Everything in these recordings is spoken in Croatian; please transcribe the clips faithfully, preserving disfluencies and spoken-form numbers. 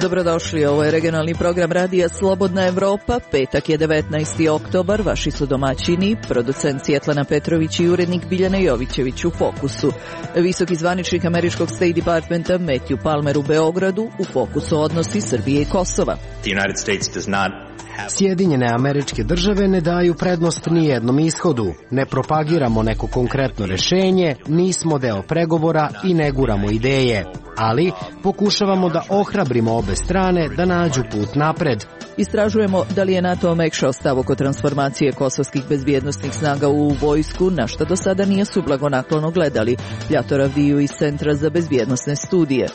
Dobrodošli, ovo je regionalni program radija Slobodna Evropa. Petak je devetnaesti oktobar, vaši su domaćini, producent Svjetlana Petrović i urednik Biljana Jovićević u fokusu. Visoki zvaničnik američkog State Departmenta Matthew Palmer u Beogradu, u fokusu odnosi Srbije i Kosova. The United States does not Sjedinjene Američke Države ne daju prednost ni jednom ishodu. Ne propagiramo neko konkretno rešenje, nismo deo pregovora i ne guramo ideje. Ali pokušavamo da ohrabrimo obe strane da nađu put napred. Istražujemo da li je NATO omekšao stav oko transformacije kosovskih bezbjednosnih snaga u vojsku, na što do sada nije su blagonaklono gledali. Ljator Avdiju iz Centra za bezbjednosne studije.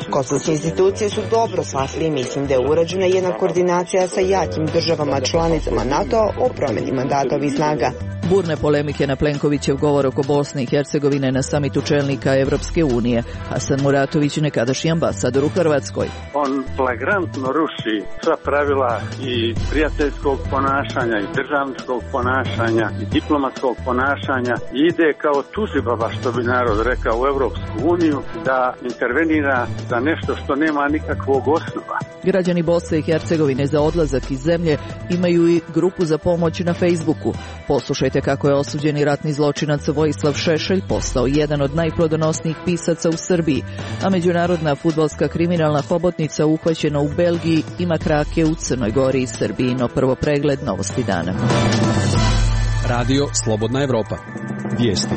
Kosovske institucije su dobro shvatili i mislim da je urađena jedna koordinacija sa jakim državama članicama NATO o promjeni mandata ovih snaga. Burne polemike na Plenkovićev govor oko Bosne i Hercegovine na samitu čelnika Evropske unije. Hasan Muratović, nekadašnji ambasador u Hrvatskoj. On flagrantno ruši sva pravila i prijateljskog ponašanja i državničkog ponašanja i diplomatskog ponašanja i ide kao tužibaba, što bi narod rekao, u Evropsku uniju da intervenira za nešto što nema nikakvog osnova. Građani Bosne i Hercegovine za odlazak iz zemlje imaju i grupu za pomoć na Facebooku. Poslušajte kako je osuđeni ratni zločinac Vojislav Šešelj postao jedan od najplodonosnijih pisaca u Srbiji, a međunarodna fudbalska kriminalna hobotnica uhvaćena u Belgiji ima krake u Crnoj Gori i Srbiji. No prvo pregled novosti dana. Radio Slobodna Evropa. Vijesti.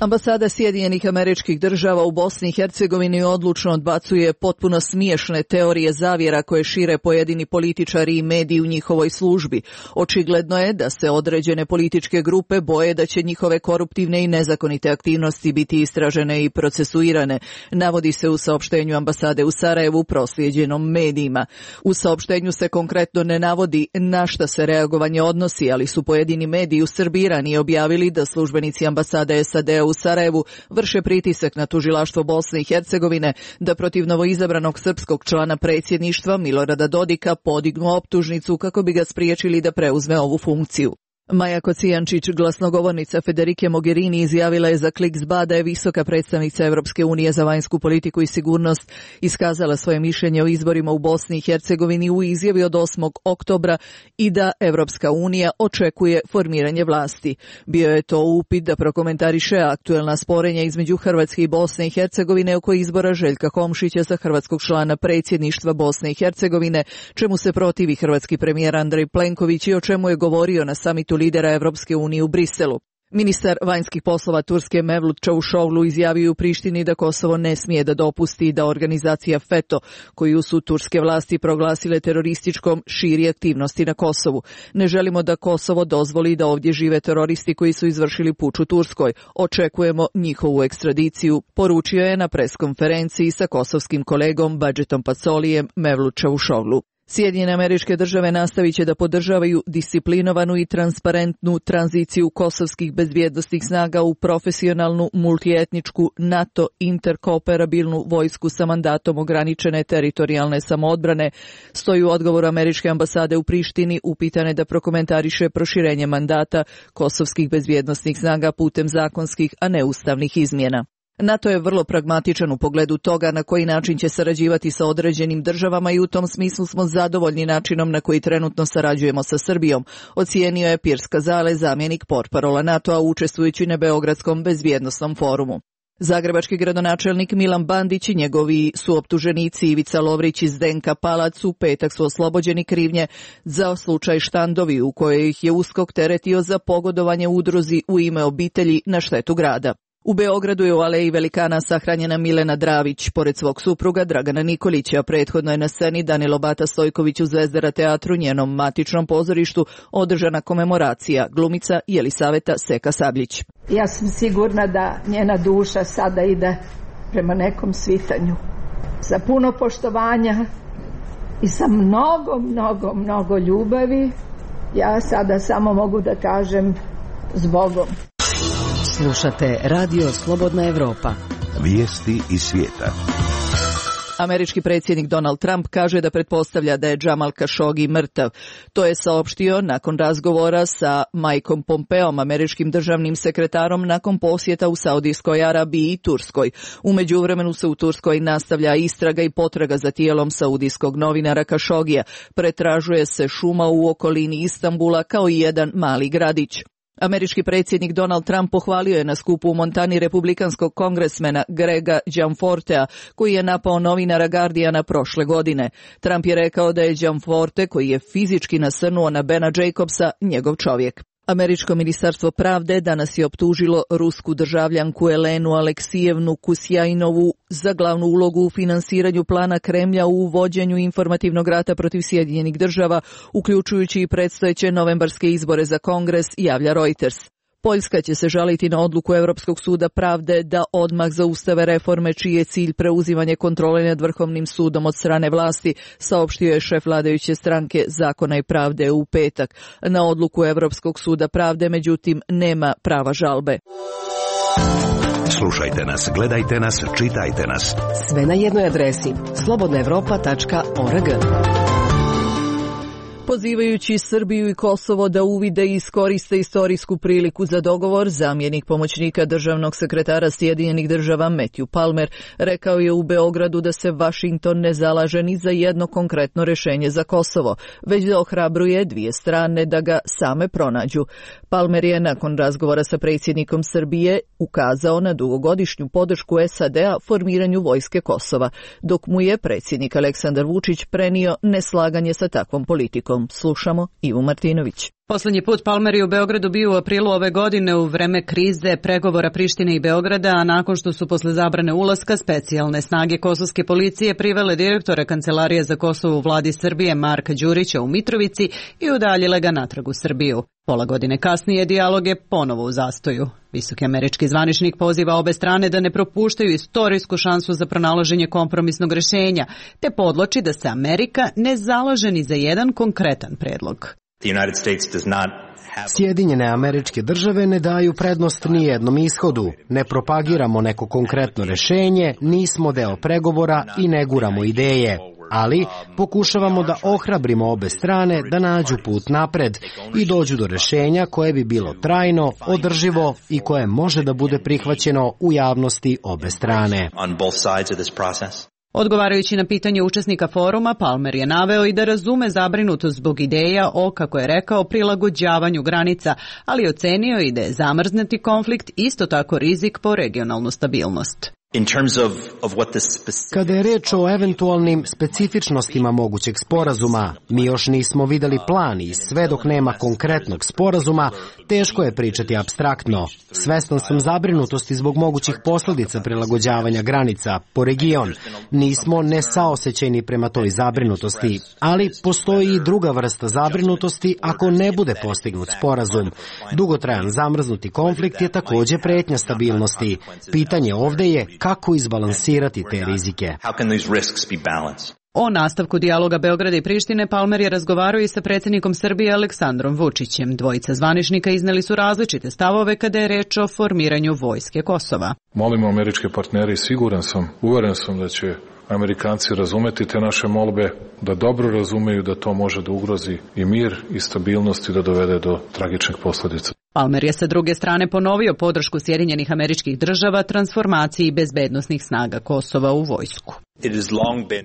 Ambasada Sjedinjenih Američkih Država u Bosni i Hercegovini odlučno odbacuje potpuno smiješne teorije zavjera koje šire pojedini političari i mediji u njihovoj službi. Očigledno je da se određene političke grupe boje da će njihove koruptivne i nezakonite aktivnosti biti istražene i procesuirane, navodi se u saopštenju ambasade u Sarajevu proslijeđenom medijima. U saopštenju se konkretno ne navodi na šta se reagovanje odnosi, ali su pojedini mediji u Srbiji ranije objavili da službenici ambasade S A D-a u Sarajevu vrše pritisak na tužilaštvo Bosne i Hercegovine da protiv novoizabranog srpskog člana predsjedništva Milorada Dodika podignu optužnicu kako bi ga spriječili da preuzme ovu funkciju. Maja Kocijančić, glasnogovornica Federike Mogherini, izjavila je za Klik zet be a da je visoka predstavnica Evropske unije za vanjsku politiku i sigurnost iskazala svoje mišljenje o izborima u Bosni i Hercegovini u izjavi od osmog oktobra i da Evropska unija očekuje formiranje vlasti. Bio je to upit da prokomentariše aktuelna sporenja između Hrvatske i Bosne i Hercegovine oko izbora Željka Komšića za hrvatskog člana predsjedništva Bosne i Hercegovine, čemu se protivi hrvatski premijer Andrej Plenković i o čemu je govorio na samitu lidera Evropske unije u Briselu. Ministar vanjskih poslova Turske Mevlut Čavuşoğlu izjavio u Prištini da Kosovo ne smije da dopusti da organizacija FETÖ, koju su turske vlasti proglasile terorističkom, širi aktivnosti na Kosovu. Ne želimo da Kosovo dozvoli da ovdje žive teroristi koji su izvršili puč u Turskoj. Očekujemo njihovu ekstradiciju, poručio je na preskonferenciji sa kosovskim kolegom Badžetom Pacolijem Mevlut Čavuşoğlu. Sjedinjene Američke Države nastavit će da podržavaju disciplinovanu i transparentnu tranziciju kosovskih bezbjednosnih snaga u profesionalnu, multietničku, NATO interkooperabilnu vojsku sa mandatom ograničene teritorijalne samoodbrane, stoji u odgovoru Američke ambasade u Prištini upitane da prokomentariše proširenje mandata kosovskih bezbjednosnih snaga putem zakonskih, a ne ustavnih izmjena. NATO je vrlo pragmatičan u pogledu toga na koji način će sarađivati sa određenim državama i u tom smislu smo zadovoljni načinom na koji trenutno sarađujemo sa Srbijom, ocijenio je Piers Kazale, zamjenik portparola NATO-a učestvujući na Beogradskom bezbjednosnom forumu. Zagrebački gradonačelnik Milan Bandić i njegovi suoptuženici Ivica Lovrić i Zdenka Palac u petak su oslobođeni krivnje za slučaj Štandovi u kojoj ih je USKOK teretio za pogodovanje udruzi u ime obitelji na štetu grada. U Beogradu je u Aleji Velikana sahranjena Milena Dravić, pored svog supruga Dragana Nikolića. Prethodno je na sceni Danilo Bata Stojković u Zvezdara teatru, njenom matičnom pozorištu, održana komemoracija, glumica Jelisaveta Seka Sabljić. Ja sam sigurna da njena duša sada ide prema nekom svitanju. Sa puno poštovanja i sa mnogo, mnogo, mnogo ljubavi, ja sada samo mogu da kažem s Bogom. Slušate Radio Slobodna Evropa. Vijesti iz svijeta. Američki predsjednik Donald Trump kaže da pretpostavlja da je Jamal Khashoggi mrtav. To je saopštio nakon razgovora sa Mikeom Pompeom, američkim državnim sekretarom, nakon posjeta u Saudijskoj Arabiji i Turskoj. U međuvremenu se u Turskoj nastavlja istraga i potraga za tijelom saudijskog novinara Khashoggija. Pretražuje se šuma u okolini Istanbula kao i jedan mali gradić. Američki predsjednik Donald Trump pohvalio je na skupu u Montani republikanskog kongresmena Grega Gianfortea, koji je napao novinara Guardiana prošle godine. Trump je rekao da je Gianforte, koji je fizički nasrnuo na Bena Jacobsa, njegov čovjek. Američko ministarstvo pravde danas je optužilo rusku državljanku Elenu Aleksijevnu Kusjajnovu za glavnu ulogu u finansiranju plana Kremlja u vođenju informativnog rata protiv Sjedinjenih država, uključujući i predstojeće novembarske izbore za Kongres, javlja Reuters. Poljska će se žaliti na odluku Europskog suda pravde da odmah zaustave reforme čiji je cilj preuzimanje kontrole nad Vrhovnim sudom od strane vlasti, saopštio je šef vladajuće stranke Zakona i pravde u petak. Na odluku Europskog suda pravde, međutim, nema prava žalbe. Slušajte nas, gledajte nas, čitajte nas. Sve na jednoj adresi slobodna evropa tačka org. Pozivajući Srbiju i Kosovo da uvide i iskoriste istorijsku priliku za dogovor, zamjenik pomoćnika državnog sekretara Sjedinjenih država Matthew Palmer rekao je u Beogradu da se Vašington ne zalaže ni za jedno konkretno rješenje za Kosovo, već da ohrabruje dvije strane da ga same pronađu. Palmer je nakon razgovora sa predsjednikom Srbije ukazao na dugogodišnju podršku S A D-a formiranju vojske Kosova, dok mu je predsjednik Aleksandar Vučić prenio neslaganje sa takvom politikom. Slušamo Ivu Martinović. Poslednji put Palmer je u Beogradu bio u aprilu ove godine u vreme krize pregovora Prištine i Beograda, a nakon što su posle zabrane ulaska specijalne snage kosovske policije privele direktora Kancelarije za Kosovo u vladi Srbije Marka Đurića u Mitrovici i udaljile ga natrag u Srbiju. Pola godine kasnije dijalog je ponovo u zastoju. Visoki američki zvaničnik poziva obe strane da ne propuštaju istorijsku šansu za pronalaženje kompromisnog rešenja, te podloči da se Amerika ne zalaže ni za jedan konkretan predlog. Sjedinjene Američke Države ne daju prednost ni jednom ishodu, ne propagiramo neko konkretno rešenje, nismo deo pregovora i ne guramo ideje, ali pokušavamo da ohrabrimo obe strane da nađu put napred i dođu do rešenja koje bi bilo trajno, održivo i koje može da bude prihvaćeno u javnosti obe strane. Odgovarajući na pitanje učesnika foruma, Palmer je naveo i da razume zabrinutost zbog ideja o, kako je rekao, prilagođavanju granica, ali ocenio i da je zamrznuti konflikt isto tako rizik po regionalnu stabilnost. Kada je reč o eventualnim specifičnostima mogućeg sporazuma, mi još nismo videli plan i sve dok nema konkretnog sporazuma, teško je pričati apstraktno. Svestan sam zabrinutosti zbog mogućih posljedica prilagođavanja granica po region. Nismo nesaosećajni prema toj zabrinutosti, ali postoji i druga vrsta zabrinutosti ako ne bude postignut sporazum. Dugotrajan zamrznuti konflikt je također pretnja stabilnosti. Pitanje ovdje je kako izbalansirati te rizike. O nastavku dijaloga Beograda i Prištine Palmer je razgovarao i sa predsjednikom Srbije Aleksandrom Vučićem. Dvojica zvaničnika izneli su različite stavove kada je reč o formiranju vojske Kosova. Molimo američke partnere i siguran sam, uveren sam da će Amerikanci razumeti te naše molbe, da dobro razumeju da to može da ugrozi i mir i stabilnost i da dovede do tragičnih posljedica. Palmer je sa druge strane ponovio podršku Sjedinjenih Američkih Država transformaciji bezbednosnih snaga Kosova u vojsku.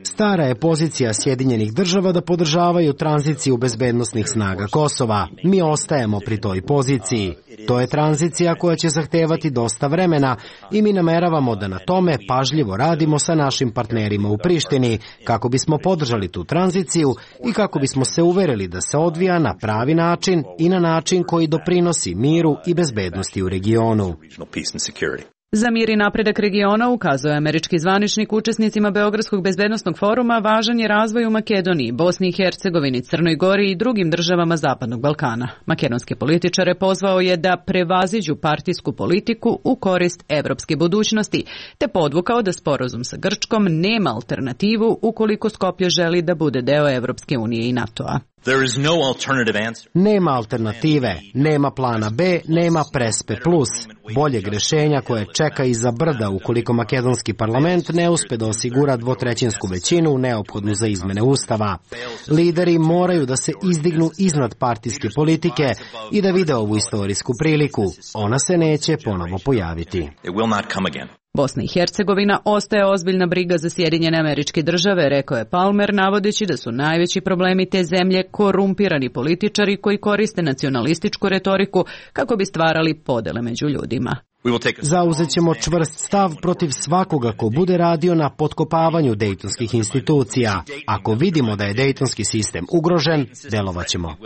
Stara je pozicija Sjedinjenih Država da podržavaju tranziciju bezbednosnih snaga Kosova. Mi ostajemo pri toj poziciji. To je tranzicija koja će zahtevati dosta vremena i mi nameravamo da na tome pažljivo radimo sa našim partnerima u Prištini kako bismo podržali tu tranziciju i kako bismo se uverili da se odvija na pravi način i na način koji doprinosi miru i bezbednosti u regionu. Za mir i napredak regiona, ukazuje američki zvaničnik učesnicima Beogradskog bezbednosnog foruma, važan je razvoj u Makedoniji, Bosni i Hercegovini, Crnoj Gori i drugim državama Zapadnog Balkana. Makedonske političare pozvao je da prevaziđu partijsku politiku u korist evropske budućnosti, te podvukao da sporazum sa Grčkom nema alternativu ukoliko Skopje želi da bude deo Evropske unije i NATO-a. Nema alternative, nema plana B, nema Prespe plus, boljeg rešenja koje čeka iza brda ukoliko makedonski parlament ne uspe da osigura dvotrećinsku većinu neophodnu za izmene ustava. Lideri moraju da se izdignu iznad partijske politike i da vide ovu istorijsku priliku. Ona se neće ponovo pojaviti. Bosna i Hercegovina ostaje ozbiljna briga za Sjedinjene Američke Države, rekao je Palmer, navodeći da su najveći problemi te zemlje korumpirani političari koji koriste nacionalističku retoriku kako bi stvarali podele među ljudima. Zauzet ćemo čvrst stav protiv svakoga ko bude radio na potkopavanju dejtonskih institucija. Ako vidimo da je dejtonski sistem ugrožen, delovat ćemo.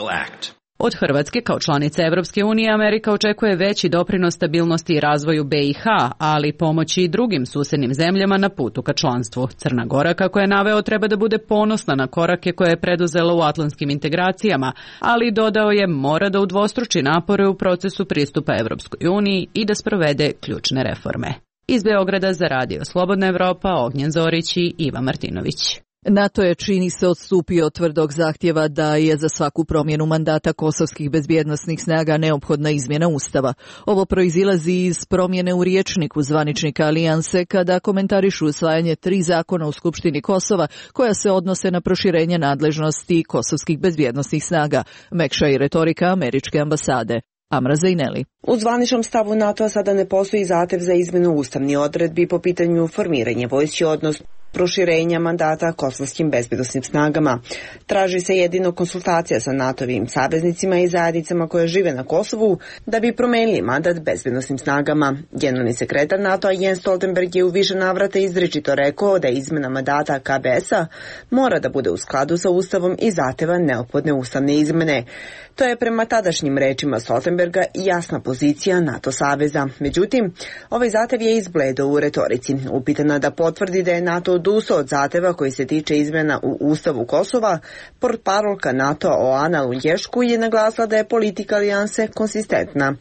Od Hrvatske kao članice Evropske unije Amerika očekuje veći doprinos stabilnosti i razvoju B i H, ali pomoći i drugim susednim zemljama na putu ka članstvu. Crna Gora, kako je naveo, treba da bude ponosna na korake koje je preduzela u atlantskim integracijama, ali dodao je mora da udvostruči napore u procesu pristupa Evropskoj uniji i da sprovede ključne reforme. Iz Beograda za Radio Slobodna Evropa, Ognjen Zorić i Iva Martinović. NATO je, čini se, odstupio od tvrdog zahtjeva da je za svaku promjenu mandata kosovskih bezbjednosnih snaga neophodna izmjena Ustava. Ovo proizilazi iz promjene u rječniku zvaničnika Alijanse kada komentarišu usvajanje tri zakona u Skupštini Kosova koja se odnose na proširenje nadležnosti kosovskih bezbjednosnih snaga, mekša i retorika američke ambasade. Amra Zajneli. U zvaničnom stavu NATO-a sada ne postoji zahtev za izmjenu ustavnih odredbi po pitanju formiranja vojske, odnosno proširenja mandata kosovskim bezbjednosnim snagama. Traži se jedino konsultacija sa NATO-vim saveznicima i zajednicama koje žive na Kosovu da bi promenili mandat bezbjednosnim snagama. Generalni sekretar NATO-a Jens Stoltenberg je u više navrata izričito rekao da izmjena mandata K B S-a mora da bude u skladu sa Ustavom i zahteva neophodne ustavne izmene. To je prema tadašnjim rečima Stoltenberga jasna pozicija NATO saveza. Međutim, ovaj zahtev je izbledo u retorici. Upitana da potvrdi da je NATO odustao od zahteva koji se tiče izmjena u Ustavu Kosova, portparolka NATO Oana Lunješko je naglasila da je politika alijanse konsistentna.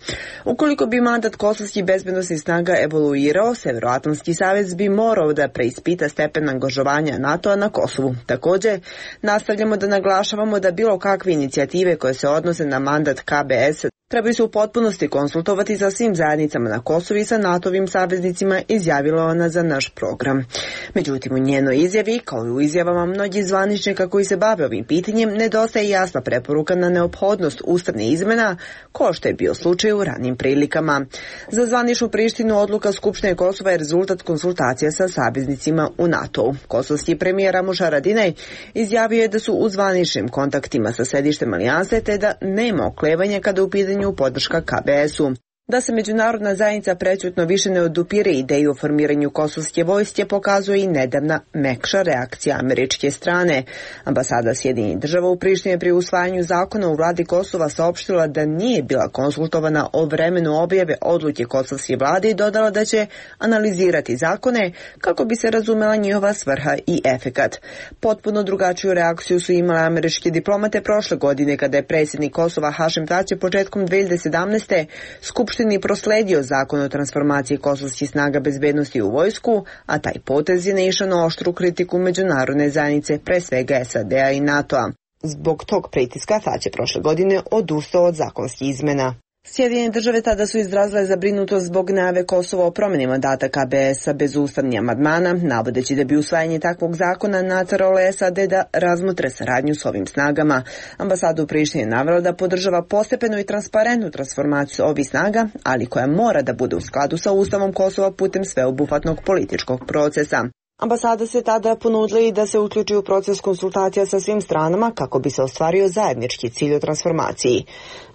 Ukoliko bi mandat kosovskih bezbjednosnih snaga evoluirao, Severoatlantski savez bi morao da preispita stepen angažovanja NATO-a na Kosovu. Također, nastavljamo da naglašavamo da bilo kakve inicijative koje se odnose na mandat K B S trebaju se u potpunosti konsultovati sa svim zajednicama na Kosovu i sa NATO-vim saveznicima, izjavila ona za naš program. Međutim, u njenoj izjavi, kao i u izjavama mnogih zvaničnika koji se bave ovim pitanjem, nedostaje jasna preporuka na neophodnost ustavne izmena, ko što je bio slučaj u ranim prilikama. Za zvaničnu Prištinu odluka Skupštine Kosova je rezultat konsultacija sa saveznicima u NATO-u. Kosovski premijer Ramuš Haradinaj izjavio je da su u zvaničnim kontaktima sa sedištem alijanse te da nema oklevanja kada u pitanju podrška K B S-u. Da se međunarodna zajednica prećutno više ne odupire ideju o formiranju kosovske vojske pokazuje i nedavna mekša reakcija američke strane. Ambasada Sjedinjenih Država u Prištini pri usvajanju zakona u vladi Kosova saopštila da nije bila konsultovana o vremenu objave odluke kosovske vlade i dodala da će analizirati zakone kako bi se razumela njihova svrha i efekat. Potpuno drugačiju reakciju su imale američke diplomate prošle godine kada je predsjednik Kosova Hašim Tači početkom dve hiljade sedamnaeste Skupština prosledio zakon o transformaciji kosovskih snaga bezbednosti u vojsku, a taj potez je naišao na oštru kritiku međunarodne zajednice, pre svega S A D-a i NATO-a. Zbog tog pritiska Tač je prošle godine odustao od zakonskih izmena. Sjedinjene Države tada su izrazile zabrinutost zbog najave Kosova o promjeni mandata K B S-a bez ustavnih amandmana, navodeći da bi usvajanje takvog zakona nateralo S A D da razmotre saradnju s ovim snagama. Ambasada u Prištini je navela da podržava postepenu i transparentnu transformaciju ovih snaga, ali koja mora da bude u skladu sa Ustavom Kosova putem sveobuhvatnog političkog procesa. Ambasada se tada ponudila i da se uključi u proces konsultacija sa svim stranama kako bi se ostvario zajednički cilj o transformaciji.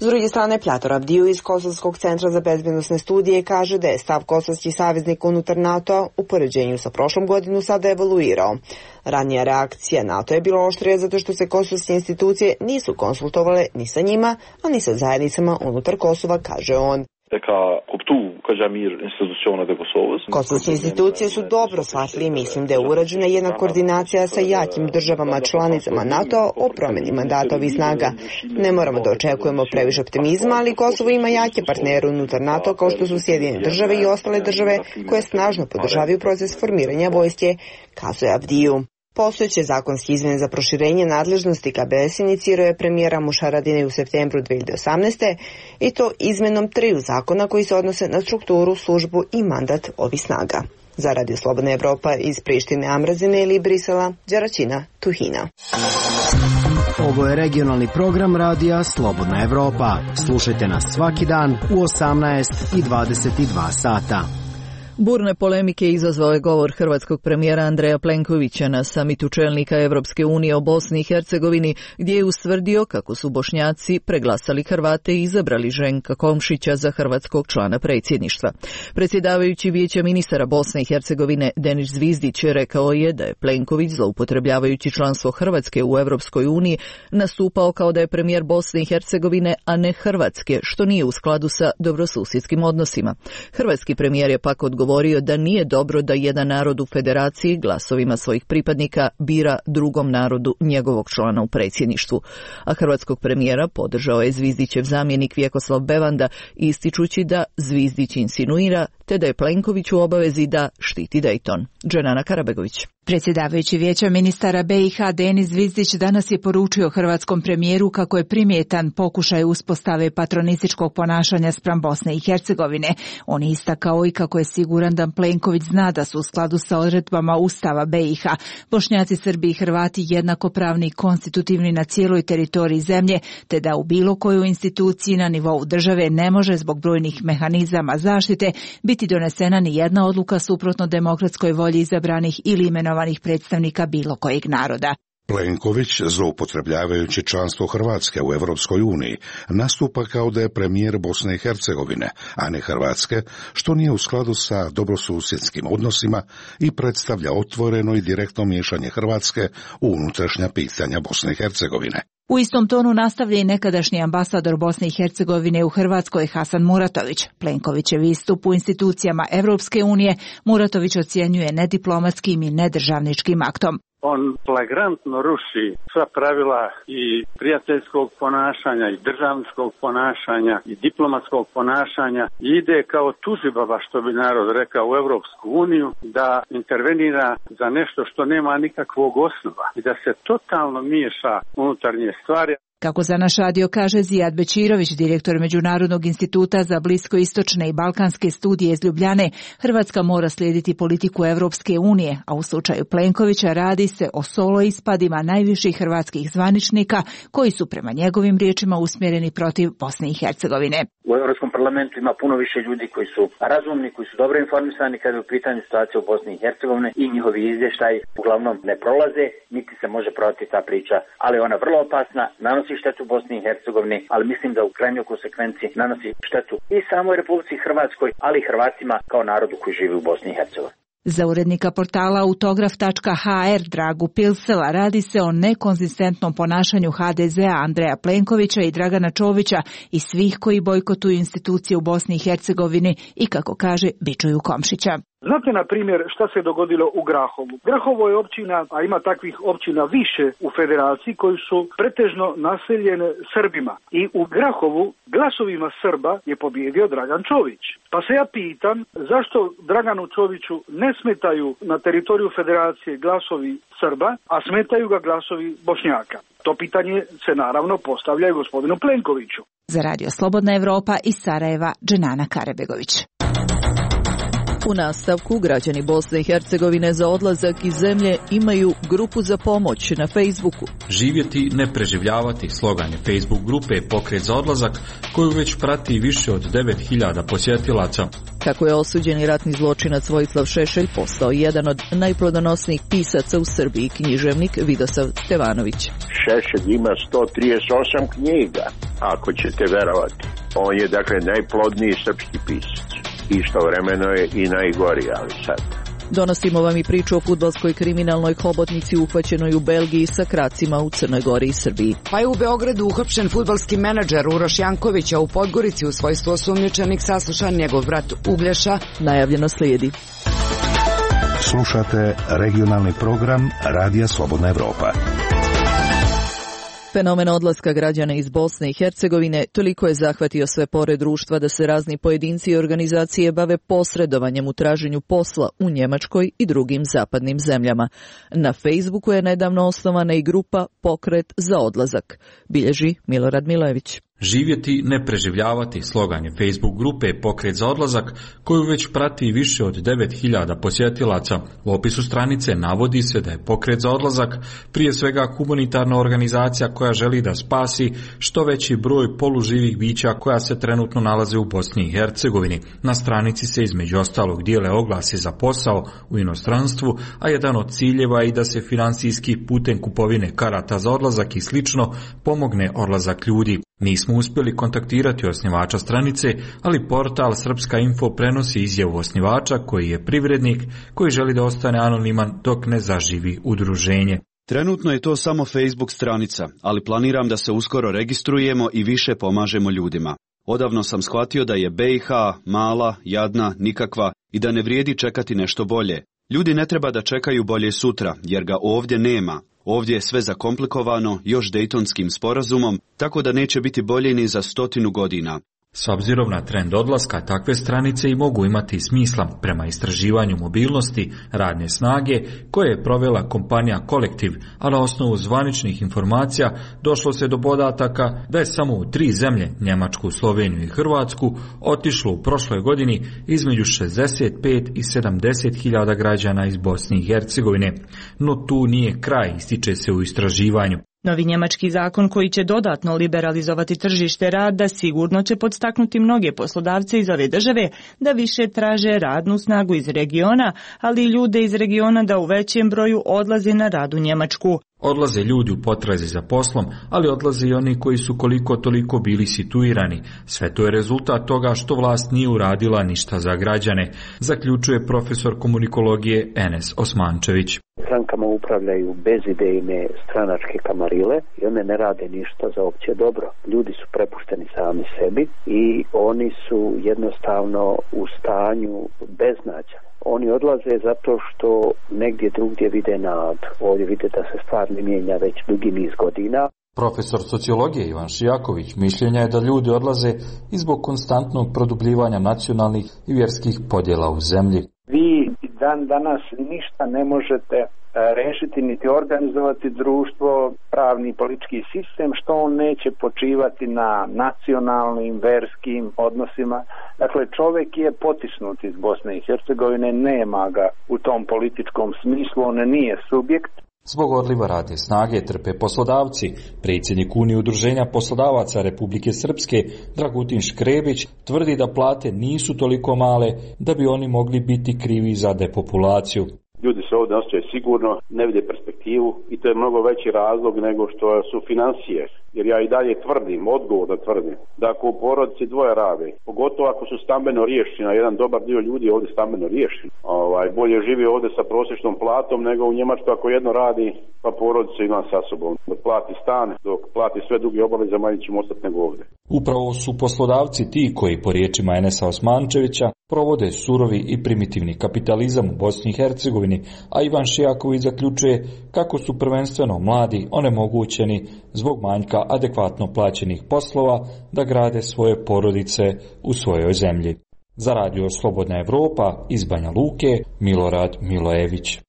S druge strane, Plator Avdiju iz Kosovskog centra za bezbjednosne studije kaže da je stav kosovskih saveznika unutar NATO-a u poređenju sa prošlom godinu sada evoluirao. Ranija reakcija NATO je bila oštrija zato što se kosovske institucije nisu konsultovale ni sa njima, a ni sa zajednicama unutar Kosova, kaže on. Kosovske institucije su dobro shvatili i mislim da je urađena jedna koordinacija sa jakim državama članicama NATO o promjeni mandata ovih snaga. Ne moramo da očekujemo previše optimizma, ali Kosovo ima jake partnere unutar NATO kao što su Sjedinjene Države i ostale države koje snažno podržavaju proces formiranja vojske, kazuje Avdiju. Postojeće zakonske izmjene za proširenje nadležnosti K B S inicirao je premijera Mušaradine u septembru dve hiljade osamnaeste. i to izmenom triju zakona koji se odnose na strukturu, službu i mandat ovih snaga. Za Radio Slobodna Evropa iz Prištine, Amrazine ili Brisela, Đeračina, Tuhina. Ovo je regionalni program radija Slobodna Evropa. Slušajte nas svaki dan u osamnaest i dvadeset dva sata. Burne polemike izazvao je govor hrvatskog premijera Andreja Plenkovića na samitu čelnika Evropske unije o Bosni i Hercegovini, gdje je ustvrdio kako su Bošnjaci preglasali Hrvate i izabrali Ženka Komšića za hrvatskog člana predsjedništva. Predsjedavajući Vijeća ministara Bosne i Hercegovine Denis Zvizdić rekao je da je Plenković, zloupotrebljavajući članstvo Hrvatske u Evropskoj uniji, nastupao kao da je premijer Bosne i Hercegovine, a ne Hrvatske, što nije u skladu sa dobrosusjedskim odnosima. Hrvatski premijer je pak odgovorio govorio da nije dobro da jedan narod u federaciji glasovima svojih pripadnika bira drugom narodu njegovog člana u predsjedništvu. A hrvatskog premijera podržao je Zvizdićev zamjenik Vjekoslav Bevanda, ističući da Zvizdić insinuira te da je Plenković u obavezi da štiti Dejton. Dženana Karabegović. Predsjedavajući Vijeća ministara B i H Denis Zvizdić danas je poručio hrvatskom premijeru kako je primjetan pokušaj uspostave patronističkog ponašanja spram Bosne i Hercegovine. On je istakao i kako je siguran da Plenković zna da su u skladu sa odredbama Ustava B i H Bošnjaci, Srbi i Hrvati jednakopravni i konstitutivni na cijeloj teritoriji zemlje, te da u bilo kojoj instituciji na nivou države ne može zbog brojnih mehanizama zaštite biti donesena ni jedna odluka suprotno demokratskoj volji izabranih ili imenovanih predstavnika bilo kojeg naroda. Plenković, zloupotrebljavajući članstvo Hrvatske u Evropskoj uniji, nastupa kao da je premijer Bosne i Hercegovine, a ne Hrvatske, što nije u skladu sa dobrosusjedskim odnosima i predstavlja otvoreno i direktno miješanje Hrvatske u unutrašnja pitanja Bosne i Hercegovine. U istom tonu nastavlja i nekadašnji ambasador Bosne i Hercegovine u Hrvatskoj Hasan Muratović. Plenkovićev istup u institucijama Evropske unije Muratović ocjenjuje nediplomatskim i nedržavničkim aktom. On flagrantno ruši sva pravila i prijateljskog ponašanja i državničkog ponašanja i diplomatskog ponašanja i ide kao tužibaba, što bi narod rekao, u Evropsku uniju, da intervenira za nešto što nema nikakvog osnova i da se totalno miješa unutarnje stvari. Kako za naš radio kaže Zijad Bečirović, direktor Međunarodnog instituta za bliskoistočne i balkanske studije iz Ljubljane, Hrvatska mora slijediti politiku Evropske unije, a u slučaju Plenkovića radi se o solo ispadima najviših hrvatskih zvaničnika koji su prema njegovim riječima usmjereni protiv Bosne i Hercegovine. U Europskom parlamentu ima puno više ljudi koji su razumni, koji su dobro informisani kada je u pitanju situacije u Bosni i Hercegovini i njihovi izvještaji uglavnom ne prolaze, niti se može prodati ta priča, ali ona je vrlo opasna, nanosi štetu Bosni i Hercegovini, ali mislim da u krajnjoj konsekvenciji nanosi štetu i samoj Republici Hrvatskoj, ali i Hrvatima kao narodu koji živi u Bosni i Hercegovini. Za urednika portala autograf tačka h r Dragu Pilsela radi se o nekonzistentnom ponašanju H D Z-a Andreja Plenkovića i Dragana Čovića i svih koji bojkotuju institucije u Bosni i Hercegovini i, kako kaže, bičuju Komšića. Znate, na primjer, šta se dogodilo u Grahovu? Grahovo je općina, a ima takvih općina više u federaciji, koji su pretežno naseljene Srbima. I u Grahovu glasovima Srba je pobjedio Dragan Čović. Pa se ja pitam, zašto Draganu Čoviću ne smetaju na teritoriju federacije glasovi Srba, a smetaju ga glasovi Bošnjaka? To pitanje se naravno postavlja i gospodinu Plenkoviću. Za Radio Slobodna Evropa iz Sarajeva, Dženana Karabegović. U nastavku, građani Bosne i Hercegovine za odlazak iz zemlje imaju grupu za pomoć na Facebooku. Živjeti, ne preživljavati, slogan je Facebook grupe Pokret za odlazak, koju već prati više od devet hiljada posjetilaca. Kako je osuđeni ratni zločinac Vojislav Šešelj postao jedan od najplodonosnijih pisaca u Srbiji, književnik Vidosav Stevanović. Šešelj ima sto trideset osam knjiga, ako ćete verovati. On je dakle najplodniji srpski pisac. Istovremeno je i najgori, ali sad. Donosimo vam i priču o fudbalskoj kriminalnoj hobotnici uhvaćenoj u Belgiji sa kracima u Crnoj Gori i Srbiji. Pa je u Beogradu uhapšen fudbalski menadžer Uroš Janković, a u Podgorici u svojstvu osumnjičenih saslušan njegov brat Uglješa. Najavljeno slijedi. Slušate regionalni program Radija Slobodna Evropa. Fenomen odlaska građana iz Bosne i Hercegovine toliko je zahvatio sve pore društva da se razni pojedinci i organizacije bave posredovanjem u traženju posla u Njemačkoj i drugim zapadnim zemljama. Na Facebooku je nedavno osnovana i grupa Pokret za odlazak, bilježi Milorad Milojević. Živjeti, ne preživljavati, slogan je Facebook grupe Pokret za odlazak, koju već prati više od devet hiljada posjetilaca. U opisu stranice navodi se da je Pokret za odlazak prije svega humanitarna organizacija koja želi da spasi što veći broj poluživih bića koja se trenutno nalaze u Bosni i Hercegovini. Na stranici se između ostalog dijele oglasi za posao u inostranstvu, a jedan od ciljeva je i da se financijski putem kupovine karata za odlazak i slično pomogne odlazak ljudi. Nismo uspjeli kontaktirati osnivača stranice, ali portal Srpska info prenosi izjavu osnivača koji je privrednik koji želi da ostane anoniman dok ne zaživi udruženje. Trenutno je to samo Facebook stranica, ali planiram da se uskoro registrujemo i više pomažemo ljudima. Odavno sam shvatio da je B i H mala, jadna, nikakva i da ne vrijedi čekati nešto bolje. Ljudi ne treba da čekaju bolje sutra, jer ga ovdje nema. Ovdje je sve zakomplikovano još Dejtonskim sporazumom, tako da neće biti bolje ni za stotinu godina. S obzirom na trend odlaska, takve stranice i mogu imati smisla prema istraživanju mobilnosti radne snage koje je provela kompanija Kolektiv, a na osnovu zvaničnih informacija došlo se do podataka da je samo u tri zemlje, Njemačku, Sloveniju i Hrvatsku, otišlo u prošloj godini između šezdeset pet i sedamdeset hiljada građana iz Bosne i Hercegovine. No tu nije kraj, ističe se u istraživanju. Novi njemački zakon koji će dodatno liberalizovati tržište rada sigurno će podstaknuti mnoge poslodavce iz ove države da više traže radnu snagu iz regiona, ali i ljude iz regiona da u većem broju odlaze na rad u Njemačku. Odlaze ljudi u potrazi za poslom, ali odlaze i oni koji su koliko toliko bili situirani. Sve to je rezultat toga što vlast nije uradila ništa za građane, zaključuje profesor komunikologije Enes Osmančević. Strankama upravljaju bezidejne stranačke kamarile i one ne rade ništa za opće dobro. Ljudi su prepušteni sami sebi i oni su jednostavno u stanju beznađa. Oni odlaze zato što negdje drugdje vide nadu. Ovdje vide da se stvar ne mijenja već dugi niz godina. Profesor sociologije Ivan Šijaković mišljenja je da ljudi odlaze i zbog konstantnog produbljivanja nacionalnih i vjerskih podjela u zemlji. Vi dan danas ništa ne možete rešiti niti organizovati društvo, pravni i politički sistem što on neće počivati na nacionalnim, verskim odnosima. Dakle, čovjek je potisnut iz Bosne i Hercegovine, nema ga u tom političkom smislu, on nije subjekt. Zbog odliva radne snage trpe poslodavci. Predsjednik Unije udruženja poslodavaca Republike Srpske, Dragutin Škrebić, tvrdi da plate nisu toliko male da bi oni mogli biti krivi za depopulaciju. Ljudi se ovdje osjećaju sigurno, ne vide perspektivu i to je mnogo veći razlog nego što su financije. Jer ja i dalje tvrdim, odgovorno tvrdim, da ako u porodici dvoje rade, pogotovo ako su stambeno riješeni, a jedan dobar dio ljudi je ovdje stambeno riješen, ovaj, bolje živi ovdje sa prosječnom platom nego u Njemačkoj ako jedno radi, pa porodicu ima sa sobom. Dok plati stan, dok plati sve druge obaveze, manje ćemo ostati nego ovdje. Upravo su poslodavci ti koji, po riječima Enesa Osmančevića, provode surovi i primitivni kapitalizam u Bosni i Hercegovini, a Ivan Šijaković zaključuje kako su prvenstveno mladi onemogućeni zbog manjka adekvatno plaćenih poslova da grade svoje porodice u svojoj zemlji. Za radio Slobodna Evropa iz Banja Luke, Milorad Milojević.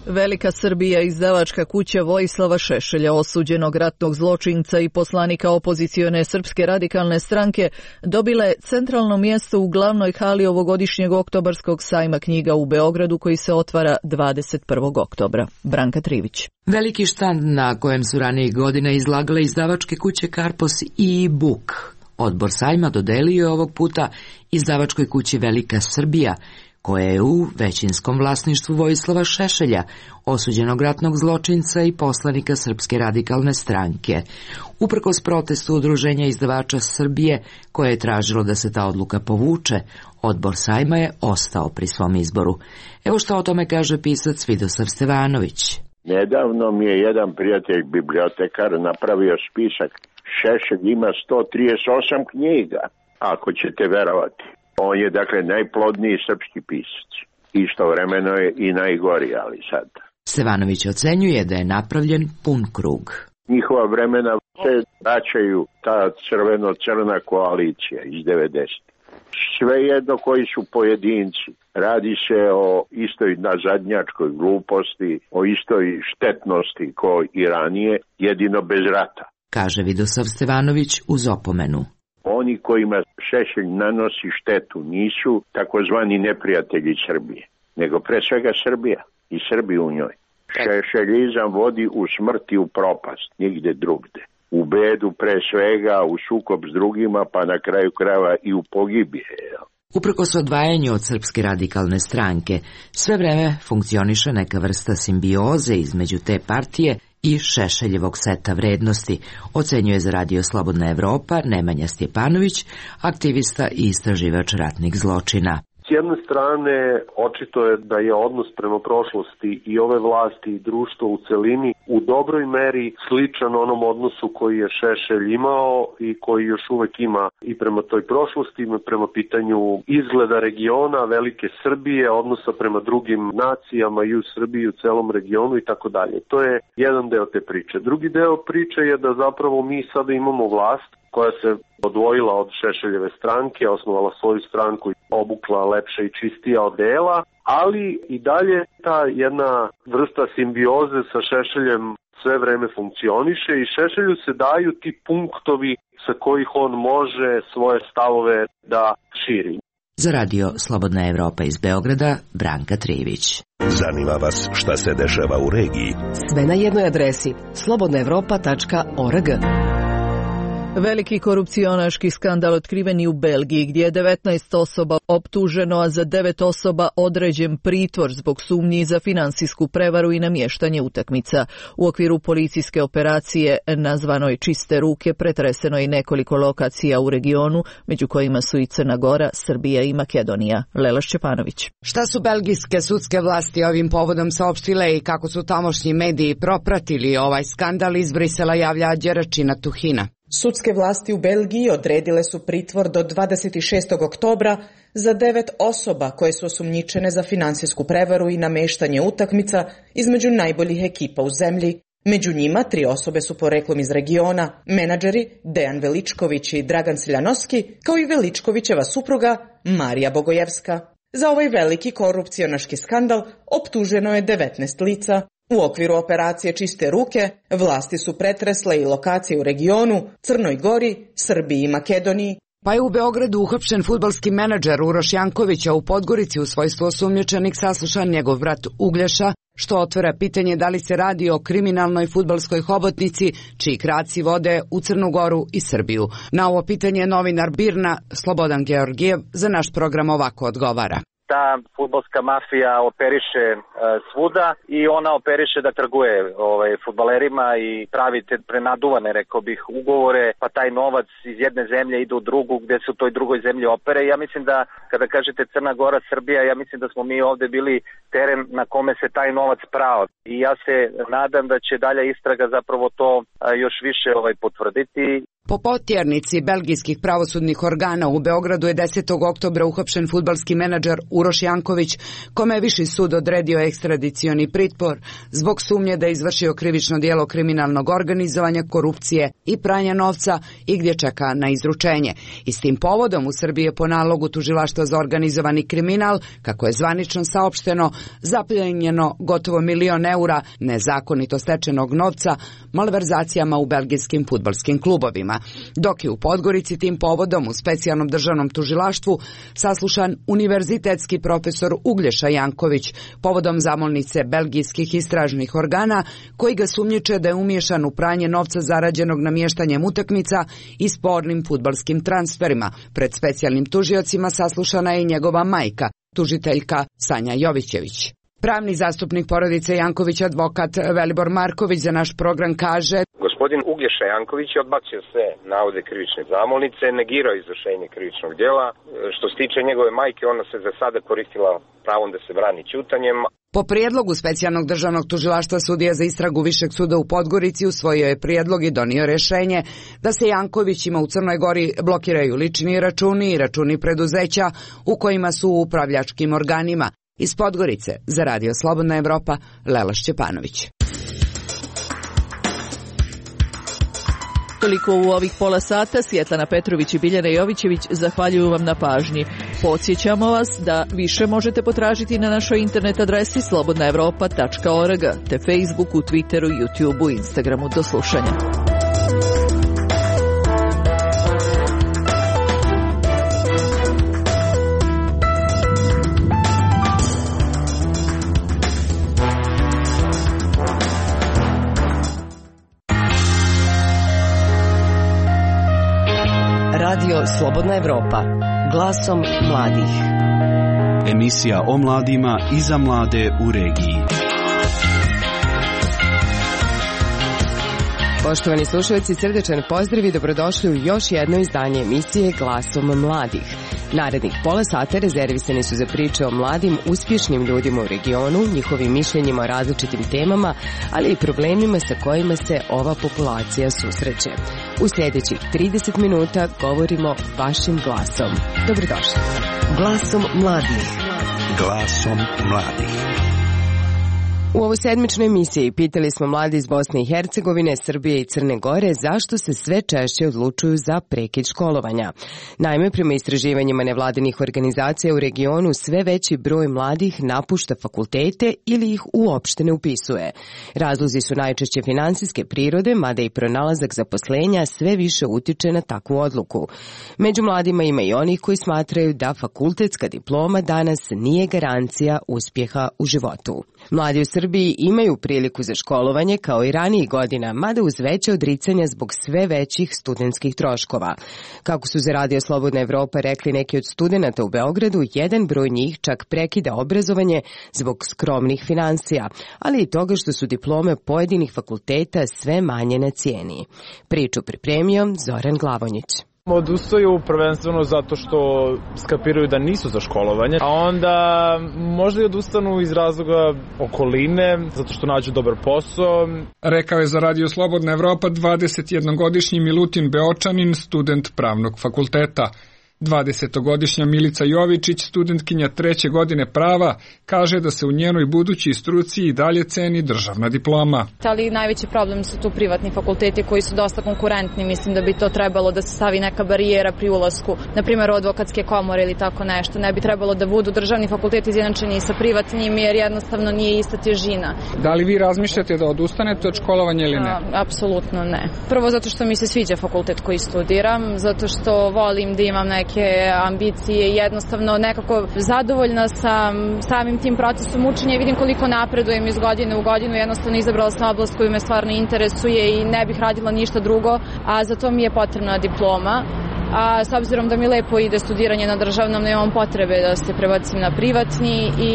Velika Srbija, izdavačka kuća Vojislava Šešelja, osuđenog ratnog zločinca i poslanika opozicione Srpske radikalne stranke, dobila je centralno mjesto u glavnoj hali ovogodišnjeg oktobarskog sajma knjiga u Beogradu koji se otvara dvadeset prvog oktobra. Branka Trivić. Veliki štand na kojem su ranijih godina izlagale izdavačke kuće Karpos i Buk. Odbor sajma dodelio je ovog puta izdavačkoj kući Velika Srbija, koja je u većinskom vlasništvu Vojislava Šešelja, osuđenog ratnog zločinca i poslanika Srpske radikalne stranke. Uprkos protestu Udruženja izdavača Srbije, koje je tražilo da se ta odluka povuče, odbor sajma je ostao pri svom izboru. Evo što o tome kaže pisac Vidosav Stevanović. Nedavno mi je jedan prijatelj bibliotekar napravio spisak. Šešelj ima sto trideset osam knjiga, ako ćete verovati. On je dakle najplodniji srpski pisac. Istovremeno je i najgori, ali sad Stevanović ocenjuje da je napravljen pun krug. Njihova vremena se vraćaju ta crveno-crna koalicija iz devedesetih. Svejedno koji su pojedinci. Radi se o istoj nazadnjačkoj gluposti, o istoj štetnosti ko i ranije, jedino bez rata. Kaže Vidosav Stevanović uz opomenu. Oni kojima Šešelj nanosi štetu nisu takozvani neprijatelji Srbije, nego pre svega Srbija i Srbi u njoj. Šešeljizam vodi u smrt i u propast, nigde drugde. U bedu pre svega, u sukob s drugima, pa na kraju krajeva i u pogibije. Uprkos odvajanju od Srpske radikalne stranke, sve vreme funkcioniše neka vrsta simbioze između te partije i Šešeljevog seta vrednosti, ocenjuje za Radio Slobodna Evropa Nemanja Stjepanović, aktivista i istraživač ratnih zločina. S jedne strane, očito je da je odnos prema prošlosti i ove vlasti i društva u celini u dobroj meri sličan onom odnosu koji je Šešelj imao i koji još uvek ima i prema toj prošlosti, prema pitanju izgleda regiona, velike Srbije, odnosa prema drugim nacijama i u Srbiji, u celom regionu i tako dalje. To je jedan deo te priče. Drugi deo priče je da zapravo mi sada imamo vlast koja se odvojila od Šešeljeve stranke, osnovala svoju stranku i obukla lepše i čistija odela, ali i dalje ta jedna vrsta simbioze sa Šešeljem sve vreme funkcioniše i Šešelju se daju ti punktovi sa kojih on može svoje stavove da širi. Za Radio Slobodna Evropa iz Beograda, Branka Trivić. Zanima vas šta se dešava u regiji? Sve na jednoj adresi slobodna evropa tačka org. Veliki korupcionaški skandal otkriven i u Belgiji, gdje je devetnaest osoba optuženo, a za devet osoba određen pritvor zbog sumnji za finansijsku prevaru i namještanje utakmica. U okviru policijske operacije nazvanoj Čiste ruke pretreseno je i nekoliko lokacija u regionu, među kojima su i Crna Gora, Srbija i Makedonija. Lela Šćepanović. Šta su belgijske sudske vlasti ovim povodom saopštile i kako su tamošnji mediji propratili ovaj skandal, iz Brisela javlja Đeračina Tuhina. Sudske vlasti u Belgiji odredile su pritvor do dvadeset šestog oktobra za devet osoba koje su osumnjičene za finansijsku prevaru i nameštanje utakmica između najboljih ekipa u zemlji. Među njima tri osobe su poreklom iz regiona, menadžeri Dejan Veličković i Dragan Siljanoski, kao i Veličkovićeva supruga Marija Bogojevska. Za ovaj veliki korupcionaški skandal optuženo je devetnaest lica. U okviru operacije Čiste ruke vlasti su pretresle i lokacije u regionu, Crnoj Gori, Srbiji i Makedoniji. Pa je u Beogradu uhapšen fudbalski menadžer Uroš Janković, a u Podgorici u svojstvu osumnjičenik saslušan njegov brat Uglješa, što otvara pitanje da li se radi o kriminalnoj fudbalskoj hobotnici čiji kraci vode u Crnu Goru i Srbiju. Na ovo pitanje novinar Birna Slobodan Georgijev za naš program ovako odgovara. Ta fudbalska mafija operiše e, svuda i ona operiše da trguje ovaj, fudbalerima i pravi te prenaduvane, rekao bih, ugovore, pa taj novac iz jedne zemlje ide u drugu gde se u toj drugoj zemlji opere. Ja mislim da kada kažete Crna Gora, Srbija, ja mislim da smo mi ovde bili teren na kome se taj novac prao. I ja se nadam da će dalja istraga zapravo to a, još više ovaj, potvrditi. Po potjernici belgijskih pravosudnih organa u Beogradu je desetog oktobra uhapšen fudbalski menadžer Uroš Janković, kome je Viši sud odredio ekstradicioni pritvor zbog sumnje da je izvršio krivično djelo kriminalnog organizovanja, korupcije i pranja novca i gdje čeka na izručenje. I s tim povodom u Srbiji je po nalogu Tužilaštva za organizovani kriminal, kako je zvanično saopšteno, zapljenjeno gotovo milion eura nezakonito stečenog novca malverzacijama u belgijskim fudbalskim klubovima. Dok je u Podgorici tim povodom u specijalnom državnom tužilaštvu saslušan univerzitetski profesor Uglješa Janković povodom zamolnice belgijskih istražnih organa koji ga sumnjiče da je umiješan u pranje novca zarađenog namještanjem utakmica i spornim fudbalskim transferima. Pred specijalnim tužiocima saslušana je i njegova majka, tužiteljka Sanja Jovićević. Pravni zastupnik porodice Janković, advokat Velibor Marković, za naš program kaže: Gospodin Uglješa Janković je odbacio sve navode krivične zamolnice, negirao izvršenje krivičnog djela. Što se tiče njegove majke, ona se za sada koristila pravom da se brani ćutanjem. Po prijedlogu specijalnog državnog tužilaštva sudija za istragu Višeg suda u Podgorici usvojio je prijedlog i donio rješenje da se Jankovićima u Crnoj Gori blokiraju lični računi i računi preduzeća u kojima su u upravljačkim organima Iz Podgorice za Radio Slobodna Evropa, Lela Šćepanović. Toliko u ovih pola sata. Svjetlana Petrović i Biljana Jovićević zahvaljuju vam na pažnji. Podsjećamo vas da više možete potražiti na našoj internet adresi slobodna evropa tačka org, te Facebooku, Twitteru, YouTubeu, Instagramu. Do slušanja. Radio Slobodna Evropa, glasom mladih. Emisija o mladima i za mlade u regiji. Poštovani slušalci, srdečan pozdrav i dobrodošli u još jedno izdanje emisije Glasom mladih. Narednih pola sata rezervisani su za priče o mladim, uspješnim ljudima u regionu, njihovim mišljenjima o različitim temama, ali i problemima sa kojima se ova populacija susreće. U sljedećih trideset minuta govorimo vašim glasom. Dobrodošli. Glasom mladih. Glasom mladih. U ovoj sedmičnoj emisiji pitali smo mladi iz Bosne i Hercegovine, Srbije i Crne Gore zašto se sve češće odlučuju za prekid školovanja. Naime, prema istraživanjima nevladinih organizacija u regionu sve veći broj mladih napušta fakultete ili ih uopšte ne upisuje. Razlozi su najčešće finansijske prirode, mada i pronalazak zaposlenja sve više utiče na takvu odluku. Među mladima ima i onih koji smatraju da fakultetska diploma danas nije garancija uspjeha u životu. Mladi u Srbiji imaju priliku za školovanje kao i ranijih godina, mada uz veće odricanja zbog sve većih studentskih troškova. Kako su za Radio Slobodna Evropa rekli neki od studenata u Beogradu, jedan broj njih čak prekida obrazovanje zbog skromnih finansija, ali i toga što su diplome pojedinih fakulteta sve manje na cijeni. Priču pripremio Zoran Glavonjić. Odustaju prvenstveno zato što skapiraju da nisu za školovanje, a onda možda i odustanu iz razloga okoline, zato što nađu dobar posao. Rekao je za Radio Slobodna Evropa dvadesetjednogodišnji Milutin Beočanin, student pravnog fakulteta. dvadesetogodišnja Milica Jovičić, studentkinja treće godine prava, kaže da se u njenoj budućoj struci i dalje ceni državna diploma. Ali najveći problem su tu privatni fakulteti koji su dosta konkurentni. Mislim da bi to trebalo da se stavi neka barijera pri ulasku, na primjer advokatske komore ili tako nešto. Ne bi trebalo da budu državni fakulteti izjednačeni sa privatnim jer jednostavno nije ista težina. Da li vi razmišljate da odustanete od školovanja ili ne? A, apsolutno ne. Prvo zato što mi se sviđa fakultet koji studiram, zato što volim da imam neke ambicije, jednostavno nekako zadovoljna sam samim tim procesom učenja i vidim koliko napredujem iz godine u godinu, jednostavno izabrala sam oblast koju me stvarno interesuje i ne bih radila ništa drugo, a za to mi je potrebna diploma. A s obzirom da mi lepo ide studiranje na državnom, nemam potrebe da se prebacim na privatni i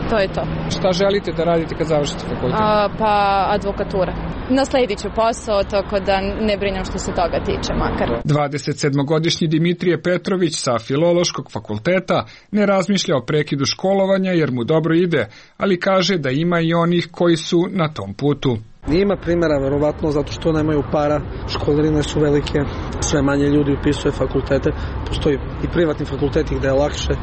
to je to. Šta želite da radite kad završite fakultet? A, pa advokatura. Nasledit ću posao, tako da ne brinem što se toga tiče makar. dvadesetsedmogodišnji Dimitrije Petrović sa Filološkog fakulteta ne razmišlja o prekidu školovanja jer mu dobro ide, ali kaže da ima i onih koji su na tom putu. Ima primjera, verovatno, zato što nemaju para, školarine su velike, sve manje ljudi upisuje fakultete, postoji i privatni fakulteti gde je lakše,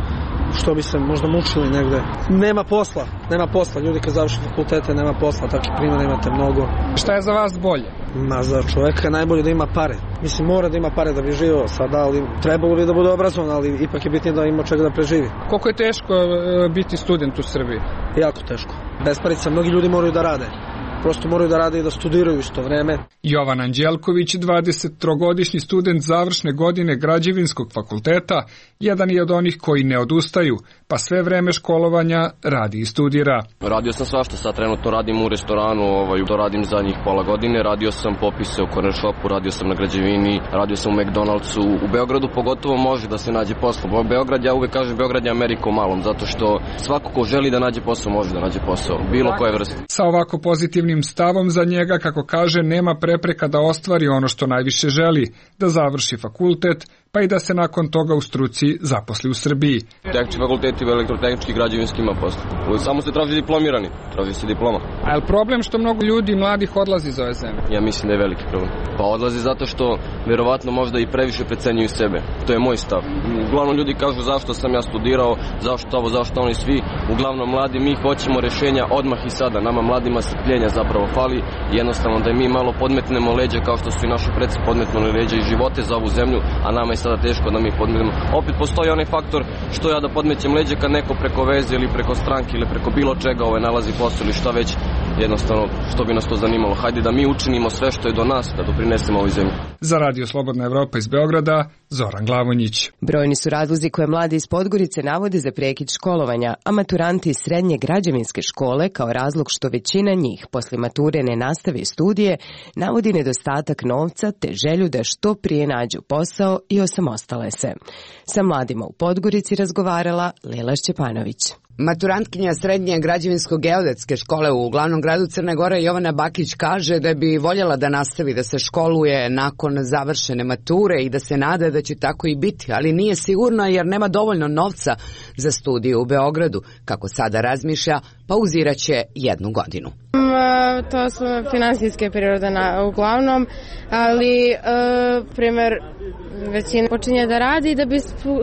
što bi se možda mučili negde. Nema posla, nema posla, ljudi kad završi fakultete nema posla, takvi primjera imate mnogo. Šta je za vas bolje? Ma za čoveka je najbolje da ima pare. Mislim, mora da ima pare da bi živio sada, ali trebalo bi da bude obrazovan, ali ipak je bitnije da ima čega da preživi. Koliko je teško biti student u Srbiji? Jako teško. Bez parica, mnogi ljudi moraju da rade. Prosto moraju da rade i da studiraju isto vreme. Jovan Anđelković, dvadesettrogodišnji student završne godine Građevinskog fakulteta, jedan je od onih koji ne odustaju, pa sve vreme školovanja radi i studira. Radio sam svašta, sad trenutno radim u restoranu, ovaj, to radim zadnjih pola godine, radio sam popise u corner shopu, radio sam na građevini, radio sam u McDonald'su, u Beogradu pogotovo može da se nađe posao. Beograd, ja uvek kažem, Beograd je Amerika u malom, zato što svako ko želi da nađe posao može da nađe posao, bilo koje vrste. Sa ovako pozitivnim stavom za njega, kako kaže, nema prepreka da ostvari ono što najviše želi, da završi fakultet, pa i da se nakon toga u struci zaposli u Srbiji. Tehnički fakulteti, elektrotehnički, građevinski ima posle. Samo se traži diplomirani, traži se diploma. A je li problem što mnogo ljudi mladih odlazi iz ove zemlje? Ja mislim da je veliki problem. Pa odlazi zato što verovatno možda i previše precenjuju sebe. To je moj stav. Uglavnom ljudi kažu zašto sam ja studirao, zašto ovo, zašto oni svi. Uglavnom mladi, mi hoćemo rešenja odmah i sada. Nama mladima strpljenja zapravo fali. Jednostavno da mi malo podmetnemo leđa kao što su i naši preci podmetnuli leđa i živote za ovu zemlju, a nama je sada teško da mi podmetnemo. Opet postoji onaj faktor što ja da podmećem leđa kad neko preko veze ili preko stranke ili preko bilo čega ovaj nalazi posao ili šta već. Jednostavno, što bi nas to zanimalo? Hajde da mi učinimo sve što je do nas, da doprinesemo ovoj zemlji. Za Radio Slobodna Evropa iz Beograda, Zoran Glavonjić. Brojni su razlozi koje mladi iz Podgorice navode za prekid školovanja, a maturanti iz srednje građevinske škole kao razlog što većina njih posle mature ne nastavi studije, navodi nedostatak novca te želju da što prije nađu posao i osamostale se. Sa mladima u Podgorici razgovarala Lela Šćepanović. Maturantkinja srednje građevinsko-geodetske škole u glavnom gradu Crne Gore Jovana Bakić kaže da bi voljela da nastavi da se školuje nakon završene mature i da se nada da će tako i biti, ali nije sigurna jer nema dovoljno novca za studije u Beogradu. Kako sada razmišlja, pauziraće jednu godinu. To su finansijske prirode na, uglavnom, ali e, primjer većina počinje da radi da bi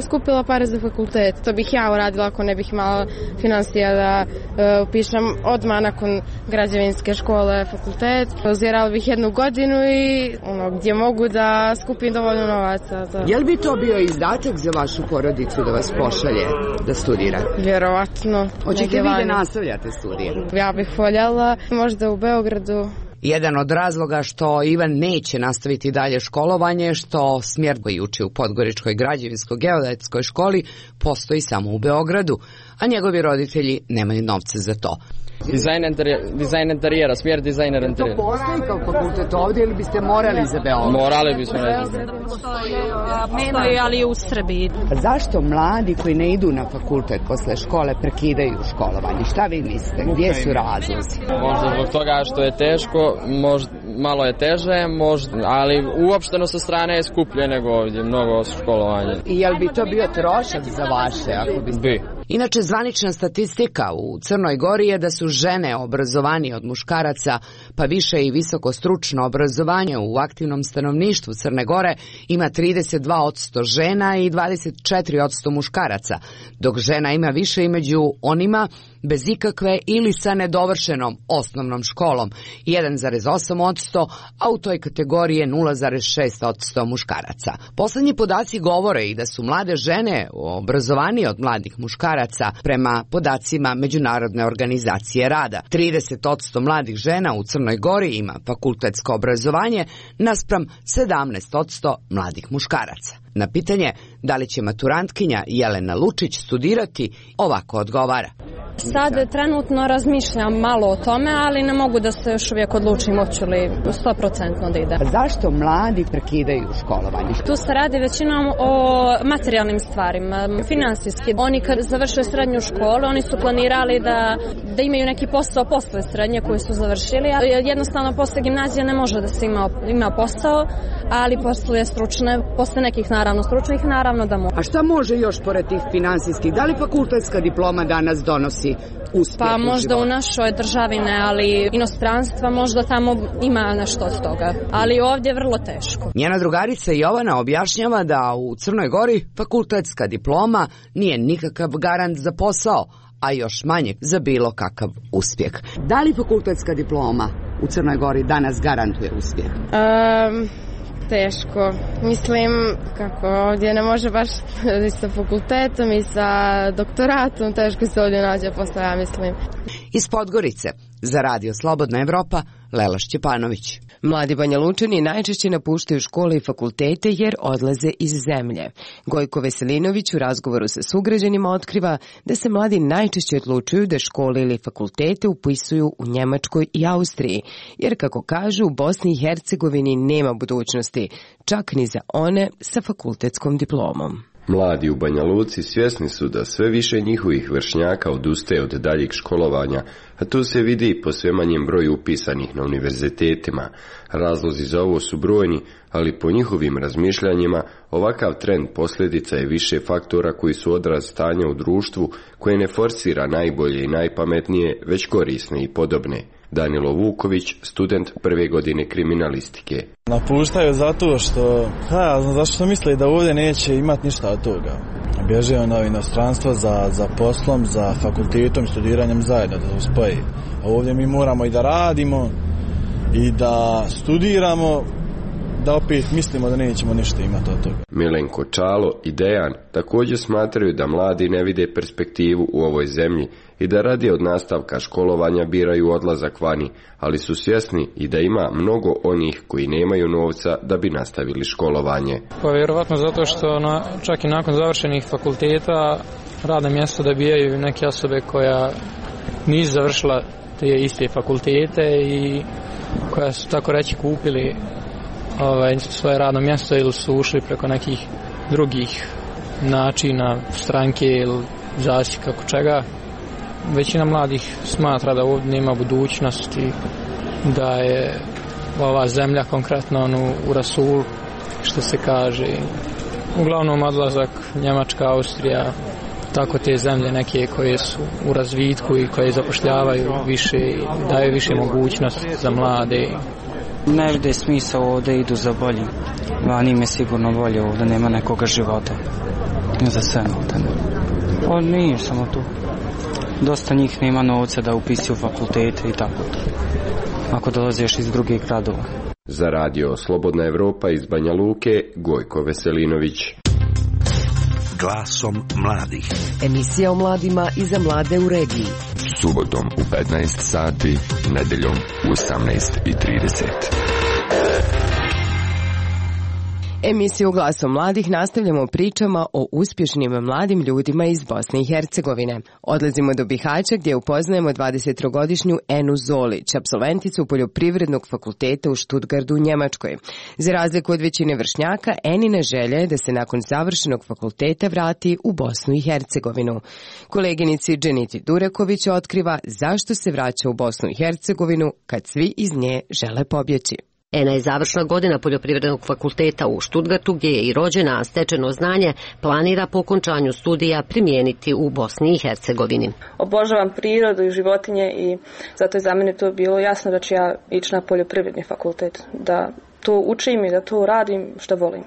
skupila pare za fakultet. To bih ja uradila ako ne bih imala finansija da e, upišem odmah nakon građevinske škole fakultet. Pauzirala bih jednu godinu i ono, gdje mogu da skupim dovoljno novaca. Za... Je li bi to bio izdatak za vašu porodicu da vas pošalje da studira? Vjerovatno. Hoćete vi da nastavljate studije? Ja bih voljela možda u Beogradu. Jedan od razloga što Ivan neće nastaviti dalje školovanje, što smjer koji uči u Podgoričkoj građevinsko-geodetskoj školi postoji samo u Beogradu, a njegovi roditelji nemaju novca za to. Dizajn interijera, dizajn interijera, smjer dizajner interijera. To postoji kao fakultet ovdje ili biste morali za Beograd? Morali bismo, ne znam. Postoji, ali u Srbiji. Zašto mladi koji ne idu na fakultet posle škole prekidaju školovanje? Šta vi mislite? Gdje su razlozi? Možda zbog toga što je teško, možda malo je teže, možda, ali uopšteno sa strane je skuplje nego ovdje, mnogo školovanje. I jel bi to bio trošak za vaše? Ako biste... Bi. Inače, zvanična statistika u Crnoj Gori je da su žene obrazovanije od muškaraca, pa više i visoko stručno obrazovanje u aktivnom stanovništvu Crne Gore ima trideset dva posto žena i dvadeset četiri posto muškaraca, dok žena ima više i među onima bez ikakve ili sa nedovršenom osnovnom školom, jedan zarez osam posto, a u toj kategoriji je nula zarez šest posto muškaraca. Poslednji podaci govore i da su mlade žene obrazovanije od mladih muškaraca prema podacima Međunarodne organizacije rada. trideset posto mladih žena u Crnoj Gori ima fakultetsko obrazovanje naspram sedamnaest posto mladih muškaraca. Na pitanje da li će maturantkinja Jelena Lučić studirati, ovako odgovara. Sad trenutno razmišljam malo o tome, ali ne mogu da se još uvijek odlučim hoću li sto posto da ide. Zašto mladi prekidaju školovanje? Tu se radi većinom o materijalnim stvarima, finansijski. Oni kad završuju srednju školu, oni su planirali da, da imaju neki posao posle srednje koji su završili. Jednostavno posle gimnazije ne može da se ima, ima posao, ali posle stručne, posle nekih naravno stručnih, naravno da može. A šta može još pored tih finansijskih? Da li fakultetska diploma danas donosi uspjeh? Pa u možda životu? U našoj državi ne, ali inostranstva možda tamo ima nešto od toga. Ali ovdje je vrlo teško. Njena drugarica Jovana objašnjava da u Crnoj Gori fakultetska diploma nije nikakav garant za posao, a još manje za bilo kakav uspjeh. Da li fakultetska diploma u Crnoj Gori danas garantuje uspjeh? Um... Teško. Mislim, kako ovdje ne može baš i sa fakultetom i sa doktoratom, teško se ovdje nađe posle, ja mislim. Iz Podgorice, za Radio Slobodna Evropa, Lela Šćepanović. Mladi Banja Lučani najčešće napuštaju škole i fakultete jer odlaze iz zemlje. Gojko Veselinović u razgovoru sa sugrađanima otkriva da se mladi najčešće odlučuju da škole ili fakultete upisuju u Njemačkoj i Austriji, jer kako kažu u Bosni i Hercegovini nema budućnosti, čak ni za one sa fakultetskom diplomom. Mladi u Banja Luci svjesni su da sve više njihovih vršnjaka odustaje od daljeg školovanja, a tu se vidi i po sve manjem broju upisanih na univerzitetima. Razlozi za ovo su brojni, ali po njihovim razmišljanjima ovakav trend posljedica je više faktora koji su odraz stanja u društvu koje ne forsira najbolje i najpametnije, već korisne i podobne. Danilo Vuković, student prve godine kriminalistike. Napuštaju zato što, ha, zašto misle da ovdje neće imati ništa od toga. Bježe na inostranstvo za, za poslom, za fakultetom, studiranjem zajedno, da se spoji. A ovdje mi moramo i da radimo i da studiramo, da opet mislimo da nećemo ništa imati od toga. Milenko Čalo i Dejan također smatraju da mladi ne vide perspektivu u ovoj zemlji i da radi od nastavka školovanja biraju odlazak vani, ali su svjesni i da ima mnogo onih koji nemaju novca da bi nastavili školovanje. Pa vjerovatno zato što na, čak i nakon završenih fakulteta radna mjesta dobijaju neke osobe koja nisu završila te iste fakultete i koja su tako reći kupili ovaj, svoje radno mjesto ili su ušli preko nekih drugih načina stranke ili zasjeka kako čega. Većina mladih smatra da ovdje nema budućnosti, da je ova zemlja konkretno ono, u rasulu, što se kaže. Uglavnom odlazak Njemačka, Austrija, tako te zemlje neke koje su u razvitku i koje zapošljavaju više i daju više mogućnosti za mlade. Ne vide smisao ovdje, idu za boljim. Vani im je sigurno bolje, ovdje nema nekoga života. Za sve ovdje. Pa nije samo tu. Dosta njih nema novca da upisuju fakultete i tako to. Ako dolaziš iz drugih gradova. Za radio Slobodna Evropa iz Banja Luke, Gojko Veselinović. Glasom mladih. Emisija o mladima i za mlade u regiji. Subotom u petnaest sati, nedeljom u osamnaest i trideset. Emisiju Glasom mladih nastavljamo pričama o uspješnim mladim ljudima iz Bosne i Hercegovine. Odlazimo do Bihaća gdje upoznajemo dvadesettrogodišnju Enu Zolić, apsolventicu Poljoprivrednog fakulteta u Stuttgartu u Njemačkoj. Za razliku od većine vršnjaka, Enina želja je da se nakon završenog fakulteta vrati u Bosnu i Hercegovinu. Koleginici Dženiti Dureković otkriva zašto se vraća u Bosnu i Hercegovinu kad svi iz nje žele pobjeći. Ena je završna godina Poljoprivrednog fakulteta u Stuttgartu gdje je i rođena, a stečeno znanje planira po okončanju studija primijeniti u Bosni i Hercegovini. Obožavam prirodu i životinje i zato je za mene to bilo jasno da ću ja ići na poljoprivredni fakultet, da to učim i da to radim što volim.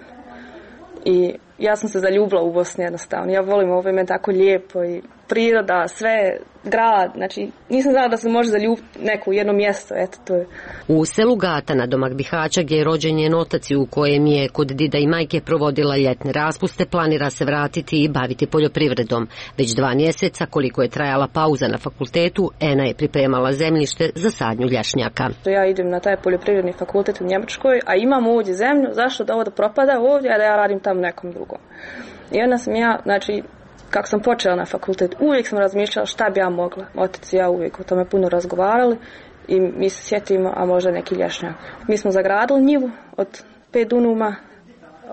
I ja sam se zaljubila u Bosni jednostavno. Ja volim ovo, ime tako lijepo i priroda, sve, grad, znači nisam znala da se može zaljubiti neko u jedno mjesto, eto to je. U selu Gata na domak Bihaća gdje je rođen njen otac i u kojem je kod dida i majke provodila ljetne raspuste, planira se vratiti i baviti poljoprivredom. Već dva mjeseca koliko je trajala pauza na fakultetu, Ena je pripremala zemljište za sadnju lješnjaka. Ja idem na taj poljoprivredni fakultet u Njemačkoj, a imam ovdje zemlju, zašto da ovo da propada ovdje, a da ja radim tamo nekom drugom. I onda sam ja, znači, kako sam počela na fakultet, uvijek sam razmišljala šta bi ja mogla. Otac i ja uvijek o tome puno razgovarali i mi se sjetimo, a možda neki lješnjak. Mi smo zagradili njivu od pet dunuma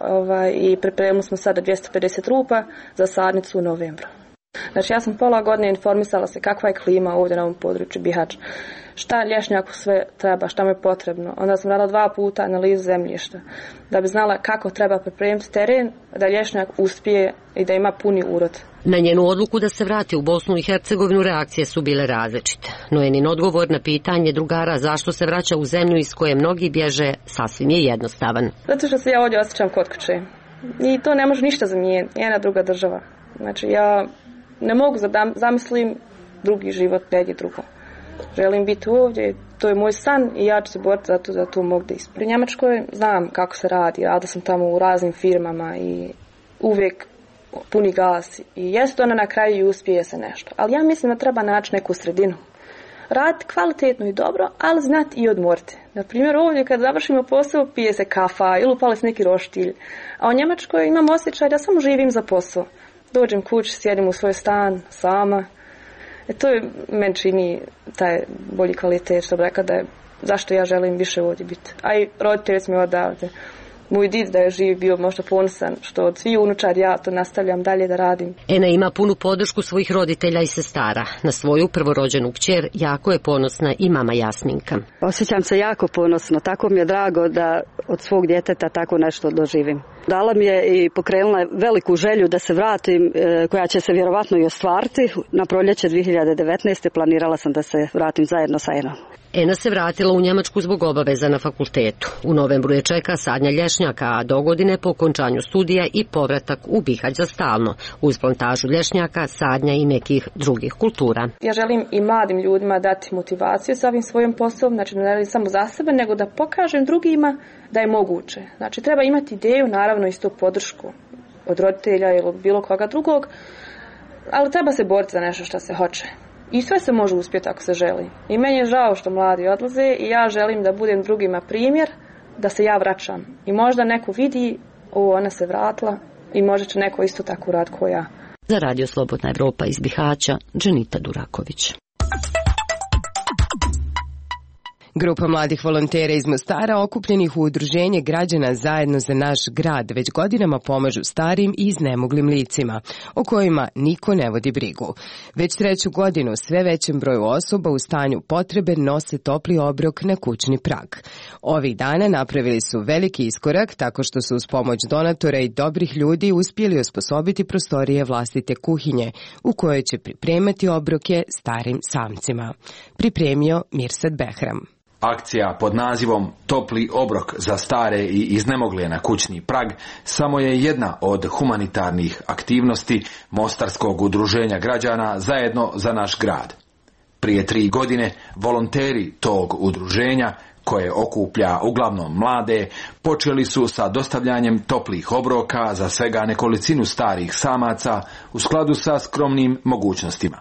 ovaj, i pripremili smo sada dvjesto pedeset rupa za sadnicu u novembru. Znači ja sam pola godine informisala se kakva je klima ovdje na ovom području Bihać. Šta lješnjaku sve treba, šta mu je potrebno. Onda sam radila dva puta analizu zemljišta da bi znala kako treba pripremiti teren da lješnjak uspije i da ima puni urod. Na njenu odluku da se vrati u Bosnu i Hercegovinu reakcije su bile različite. No Enin odgovor na pitanje drugara zašto se vraća u zemlju iz koje mnogi bježe sasvim je jednostavan. Zato što se ja ovdje osjećam kod kuće. I to ne može ništa zamijeniti, jedna druga država. Znači ja ne mogu zamislim drugi život negdje drugo. Želim biti ovdje, to je moj san i ja ću se boriti za to da to mogu da ispunim. U Njemačkoj znam kako se radi, radila sam tamo u raznim firmama i uvijek puni gas i jest ona na kraju i uspije se nešto. Ali ja mislim da treba naći neku sredinu. Raditi kvalitetno i dobro, ali znati i odmoriti. Na primjer ovdje kad završimo posao pije se kafa ili upali se neki roštilj. A u Njemačkoj imam osjećaj da samo živim za posao. Dođem kući, sjedim u svoj stan sama. E to je meni čini taj bolji kvalitet što bi rekao da je zašto ja želim više ovdje biti. A i roditelji su mi odavde. moj did da je živ bio možda ponosan što od svih unučar ja to nastavljam dalje da radim. Ena ima punu podršku svojih roditelja i sestara. Na svoju prvorođenu kćer jako je ponosna i mama Jasminka. Osjećam se jako ponosno, tako mi je drago da od svog djeteta tako nešto doživim. Dala mi je i pokrenula veliku želju da se vratim, koja će se vjerovatno i ostvariti. Na proljeće dvije hiljade devetnaeste. planirala sam da se vratim zajedno sa Enom. Ena se vratila u Njemačku zbog obaveza na fakultetu. U novembru je čeka sadnja lješnjaka, a do godine po okončanju studija i povratak u Bihać za stalno, uz plantažu lješnjaka, sadnja i nekih drugih kultura. Ja želim i mladim ljudima dati motivaciju sa ovim svojim poslom, znači ne radim samo za sebe, nego da pokažem drugima da je moguće. Znači treba imati ideju, naravno isto podršku od roditelja ili od bilo koga drugog, ali treba se boriti za nešto što se hoće. I sve se može uspjeti ako se želi. I meni je žao što mladi odlaze i ja želim da budem drugima primjer, da se ja vraćam. I možda neko vidi, o, ona se vratila i možda će neko isto tako rad ko ja. Za Radio Slobodna Evropa iz Bihaća, Dženita Duraković. Grupa mladih volontera iz Mostara okupljenih u udruženje građana Zajedno za naš grad već godinama pomažu starim i iznemoglim licima, o kojima niko ne vodi brigu. Već treću godinu sve većem broju osoba u stanju potrebe nose topli obrok na kućni prag. Ovih dana napravili su veliki iskorak tako što su uz pomoć donatora i dobrih ljudi uspjeli osposobiti prostorije vlastite kuhinje u kojoj će pripremati obroke starim samcima. Pripremio Mirsad Behram. Akcija pod nazivom Topli obrok za stare i iznemogle na kućni prag samo je jedna od humanitarnih aktivnosti Mostarskog udruženja građana Zajedno za naš grad. Prije tri godine volonteri tog udruženja, koje okuplja uglavnom mlade, počeli su sa dostavljanjem toplih obroka za svega nekolicinu starih samaca u skladu sa skromnim mogućnostima.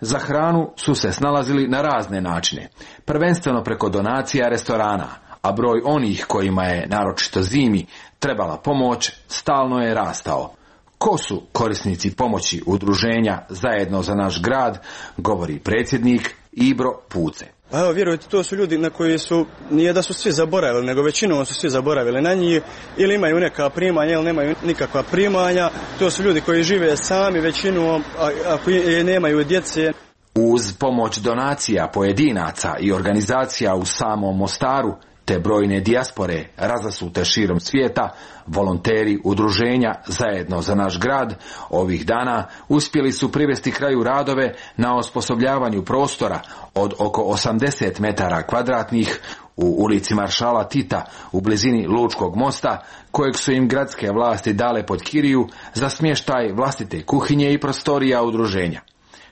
Za hranu su se snalazili na razne načine, prvenstveno preko donacija restorana, a broj onih kojima je, naročito zimi, trebala pomoć, stalno je rastao. Ko su korisnici pomoći udruženja Zajedno za naš grad, govori predsjednik Ibro Puce. Pa evo, vjerujte, to su ljudi na koji su, nije da su svi zaboravili, nego većinom su svi zaboravili na njih, ili imaju neka primanja, ili nemaju nikakva primanja. To su ljudi koji žive sami većinom, a, a koji nemaju djece. Uz pomoć donacija pojedinaca i organizacija u samom Mostaru, te brojne dijaspore razasute širom svijeta, volonteri udruženja Zajedno za naš grad ovih dana uspjeli su privesti kraju radove na osposobljavanju prostora od oko osamdeset metara kvadratnih u ulici Maršala Tita u blizini Lučkog mosta, kojeg su im gradske vlasti dale pod kiriju za smještaj vlastite kuhinje i prostorija udruženja.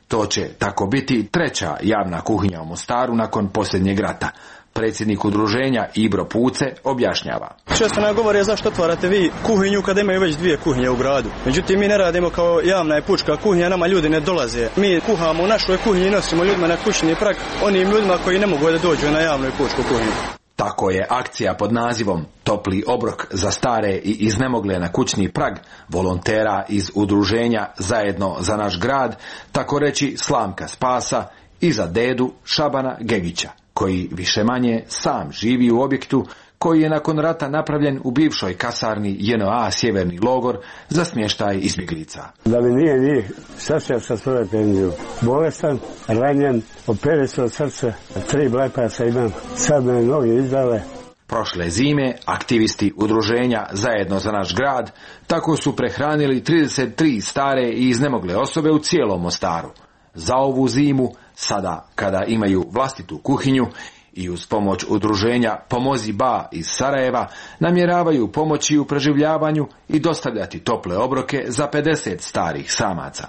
To će tako biti treća javna kuhinja u Mostaru nakon posljednjeg rata. Predsjednik udruženja Ibro Puce objašnjava. Često nam govore zašto otvarate vi kuhinju kada imaju već dvije kuhinje u gradu. Međutim, mi ne radimo kao javna i pučka kuhinja, nama ljudi ne dolaze. Mi kuhamo u našoj kuhinji i nosimo ljudima na kućni prag, onim ljudima koji ne mogu da dođu na javnu i pučku kuhinju. Tako je akcija pod nazivom Topli obrok za stare i iznemogle na kućni prag volontera iz udruženja Zajedno za naš grad, tako reći slamka spasa i za dedu Šabana Gegića, koji više manje sam živi u objektu koji je nakon rata napravljen u bivšoj kasarni J N A Sjeverni logor za smještaj izbjeglica. Da mi nije njih, sad sam sa svoje penziju. Bolestan, ranjen, operisan od srca, tri bypassa imam, sad me noge izdale. Prošle zime aktivisti udruženja Zajedno za naš grad tako su prehranili trideset tri stare i iznemogle osobe u cijelom Mostaru. Za ovu zimu, sada kada imaju vlastitu kuhinju i uz pomoć udruženja Pomozi Ba iz Sarajeva, namjeravaju pomoći u preživljavanju i dostavljati tople obroke za pedeset starih samaca.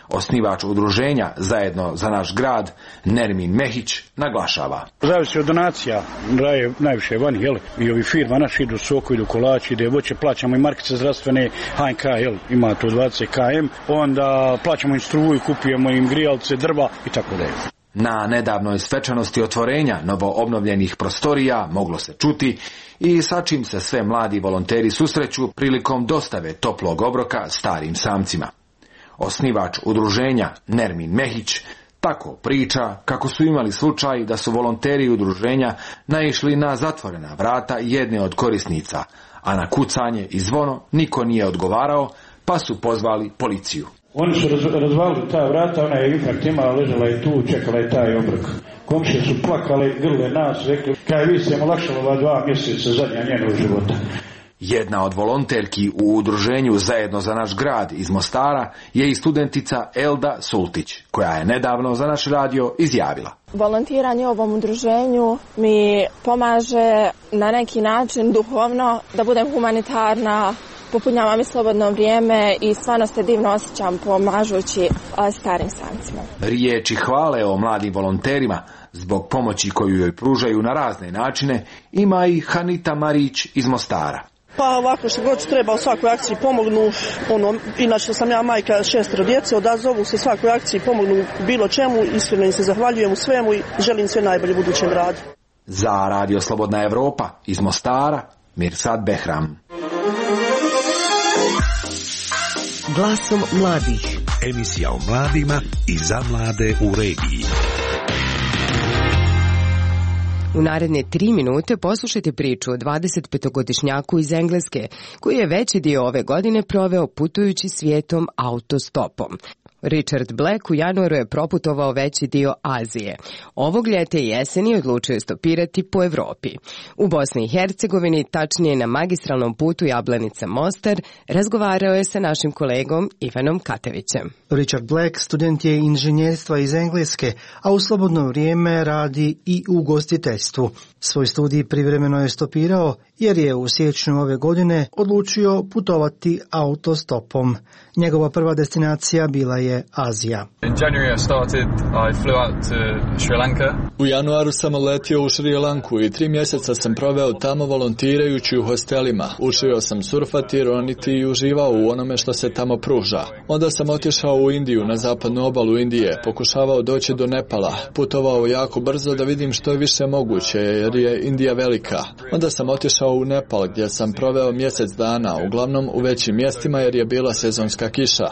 Osnivač udruženja Zajedno za naš grad, Nermin Mehić, naglašava. Zavisi od donacija, daje najviše vani, jel, i ovi firma naši idu soko, idu kolači, ide voće, plaćamo i markice zdravstvene, H N K, jel, ima to dvadeset kilometara, onda plaćamo im struju, kupujemo im grijalce, drva i tako dalje. Na nedavnoj svečanosti otvorenja novo obnovljenih prostorija moglo se čuti i sa čim se sve mladi volonteri susreću prilikom dostave toplog obroka starim samcima. Osnivač udruženja Nermin Mehić Tako priča kako su imali slučaj da su volonteri udruženja naišli na zatvorena vrata jedne od korisnica, a na kucanje i zvono niko nije odgovarao, pa su pozvali policiju. Oni su raz, razvalili ta vrata, ona je infarkt imala, ležala je tu, čekala je taj obrok. Komšije su plakale, grle nas, rekli, kaj vi ste mu lakšali ova dva mjeseca zadnja njenog života. Jedna od volonterki u udruženju Zajedno za naš grad iz Mostara je i studentica Elda Sultić, koja je nedavno za naš radio izjavila. Volontiranje u ovom udruženju mi pomaže na neki način duhovno da budem humanitarna, popunjava mi slobodno vrijeme i stvarno se divno osjećam pomažući starim samcima. Riječi hvale o mladim volonterima zbog pomoći koju joj pružaju na razne načine ima i Hanita Marić iz Mostara. Pa ovako što god treba u svakoj akciji pomognu, ono, inače sam ja majka šestero djece, odazovu se svakoj akciji, pomognu bilo čemu, iskreno im se zahvaljujem u svemu i želim sve najbolje u budućem radu. Za Radio Slobodna Evropa iz Mostara, Mirsad Behram. Glasom mladih. Emisija o mladima i za mlade u regiji. U naredne tri minute poslušajte priču o dvadesetpetogodišnjaku iz Engleske, koji je veći dio ove godine proveo putujući svijetom autostopom. Richard Black u januaru je proputovao veći dio Azije. Ovog ljeta i jeseni odlučio je stopirati po Evropi. U Bosni i Hercegovini, tačnije na magistralnom putu Jablanica-Mostar, razgovarao je sa našim kolegom Ivanom Katevićem. Richard Black student je inženjerstva iz Engleske, a u slobodno vrijeme radi i u ugostiteljstvu. Svoj studij privremeno je stopirao jer je u siječnju ove godine odlučio putovati autostopom. Njegova prva destinacija bila je Azija. U januaru sam letio u Šri Lanku i tri mjeseca sam proveo tamo volontirajući u hostelima. Učio sam surfati, roniti i uživao u onome što se tamo pruža. Onda sam otišao u Indiju, na zapadnu obalu Indije, pokušavao doći do Nepala, putovao jako brzo da vidim što je više moguće jer je Indija velika. Onda sam otišao u Nepal gdje sam proveo mjesec dana, uglavnom u većim mjestima jer je bila sezonska kiša,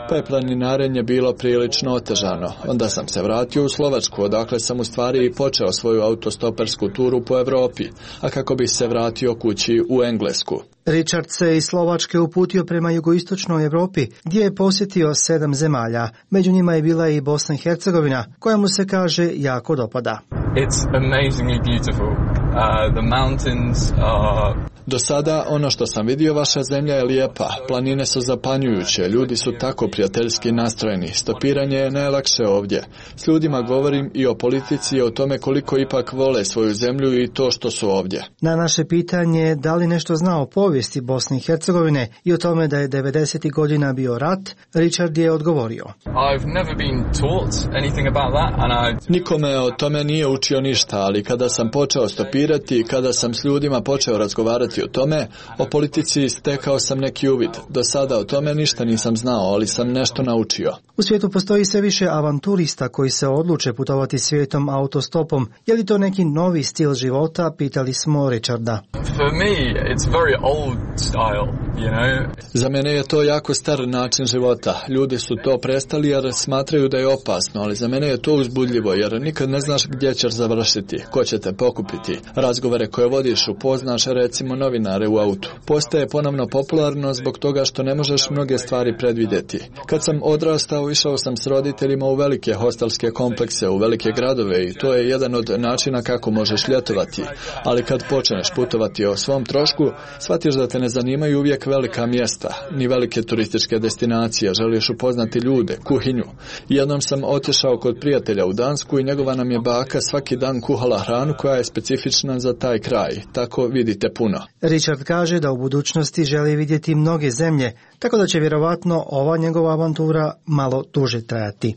pa je planinarenje bilo prilično otežano. Onda sam se vratio u Slovačku, odakle sam u stvari i počeo svoju autostopersku turu po Evropi, a kako bi se vratio kući u Englesku. Richard se iz Slovačke uputio prema jugoistočnoj Evropi, gdje je posjetio sedam zemalja. Među njima je bila i Bosna i Hercegovina, koja mu se kaže jako dopada. It's amazingly beautiful. Uh, the mountains are... Do sada ono što sam vidio, vaša zemlja je lijepa, planine su zapanjujuće, ljudi su tako prijateljski nastrojeni, stopiranje je najlakše ovdje. S ljudima govorim i o politici i o tome koliko ipak vole svoju zemlju i to što su ovdje. Na naše pitanje da li nešto zna o povijesti Bosne i Hercegovine i o tome da je devedesetih godina bio rat, Richard je odgovorio. I've never been taught anything about that and I... Niko me o tome nije učio ništa, ali kada sam počeo stopirati i kada sam s ljudima počeo razgovarati o tome, o politici stekao sam neki uvid. Do sada o tome ništa nisam znao, ali sam nešto naučio. U svijetu postoji sve više avanturista koji se odluče putovati svijetom autostopom. Je li to neki novi stil života, pitali smo Richarda. For me, it's very old style, you know. Za mene je to jako star način života. Ljudi su to prestali jer smatraju da je opasno, ali za mene je to uzbudljivo jer nikad ne znaš gdje ćeš završiti, ko će te pokupiti. Razgovore koje vodiš upoznaš recimo novinare u autu. Postaje ponovno popularno zbog toga što ne možeš mnoge stvari predvidjeti. Kad sam odrastao, išao sam s roditeljima u velike hostelske komplekse, u velike gradove i to je jedan od načina kako možeš ljetovati. Ali kad počneš putovati o svom trošku, shvatiš da te ne zanimaju uvijek velika mjesta, ni velike turističke destinacije, želiš upoznati ljude, kuhinju. Jednom sam otišao kod prijatelja u Dansku i njegova nam je baka svaki dan kuhala hranu koja je specifična za taj kraj, tako vidite puno. Richard kaže da u budućnosti želi vidjeti mnoge zemlje, tako da će vjerovatno ova njegova avantura malo duže trajati.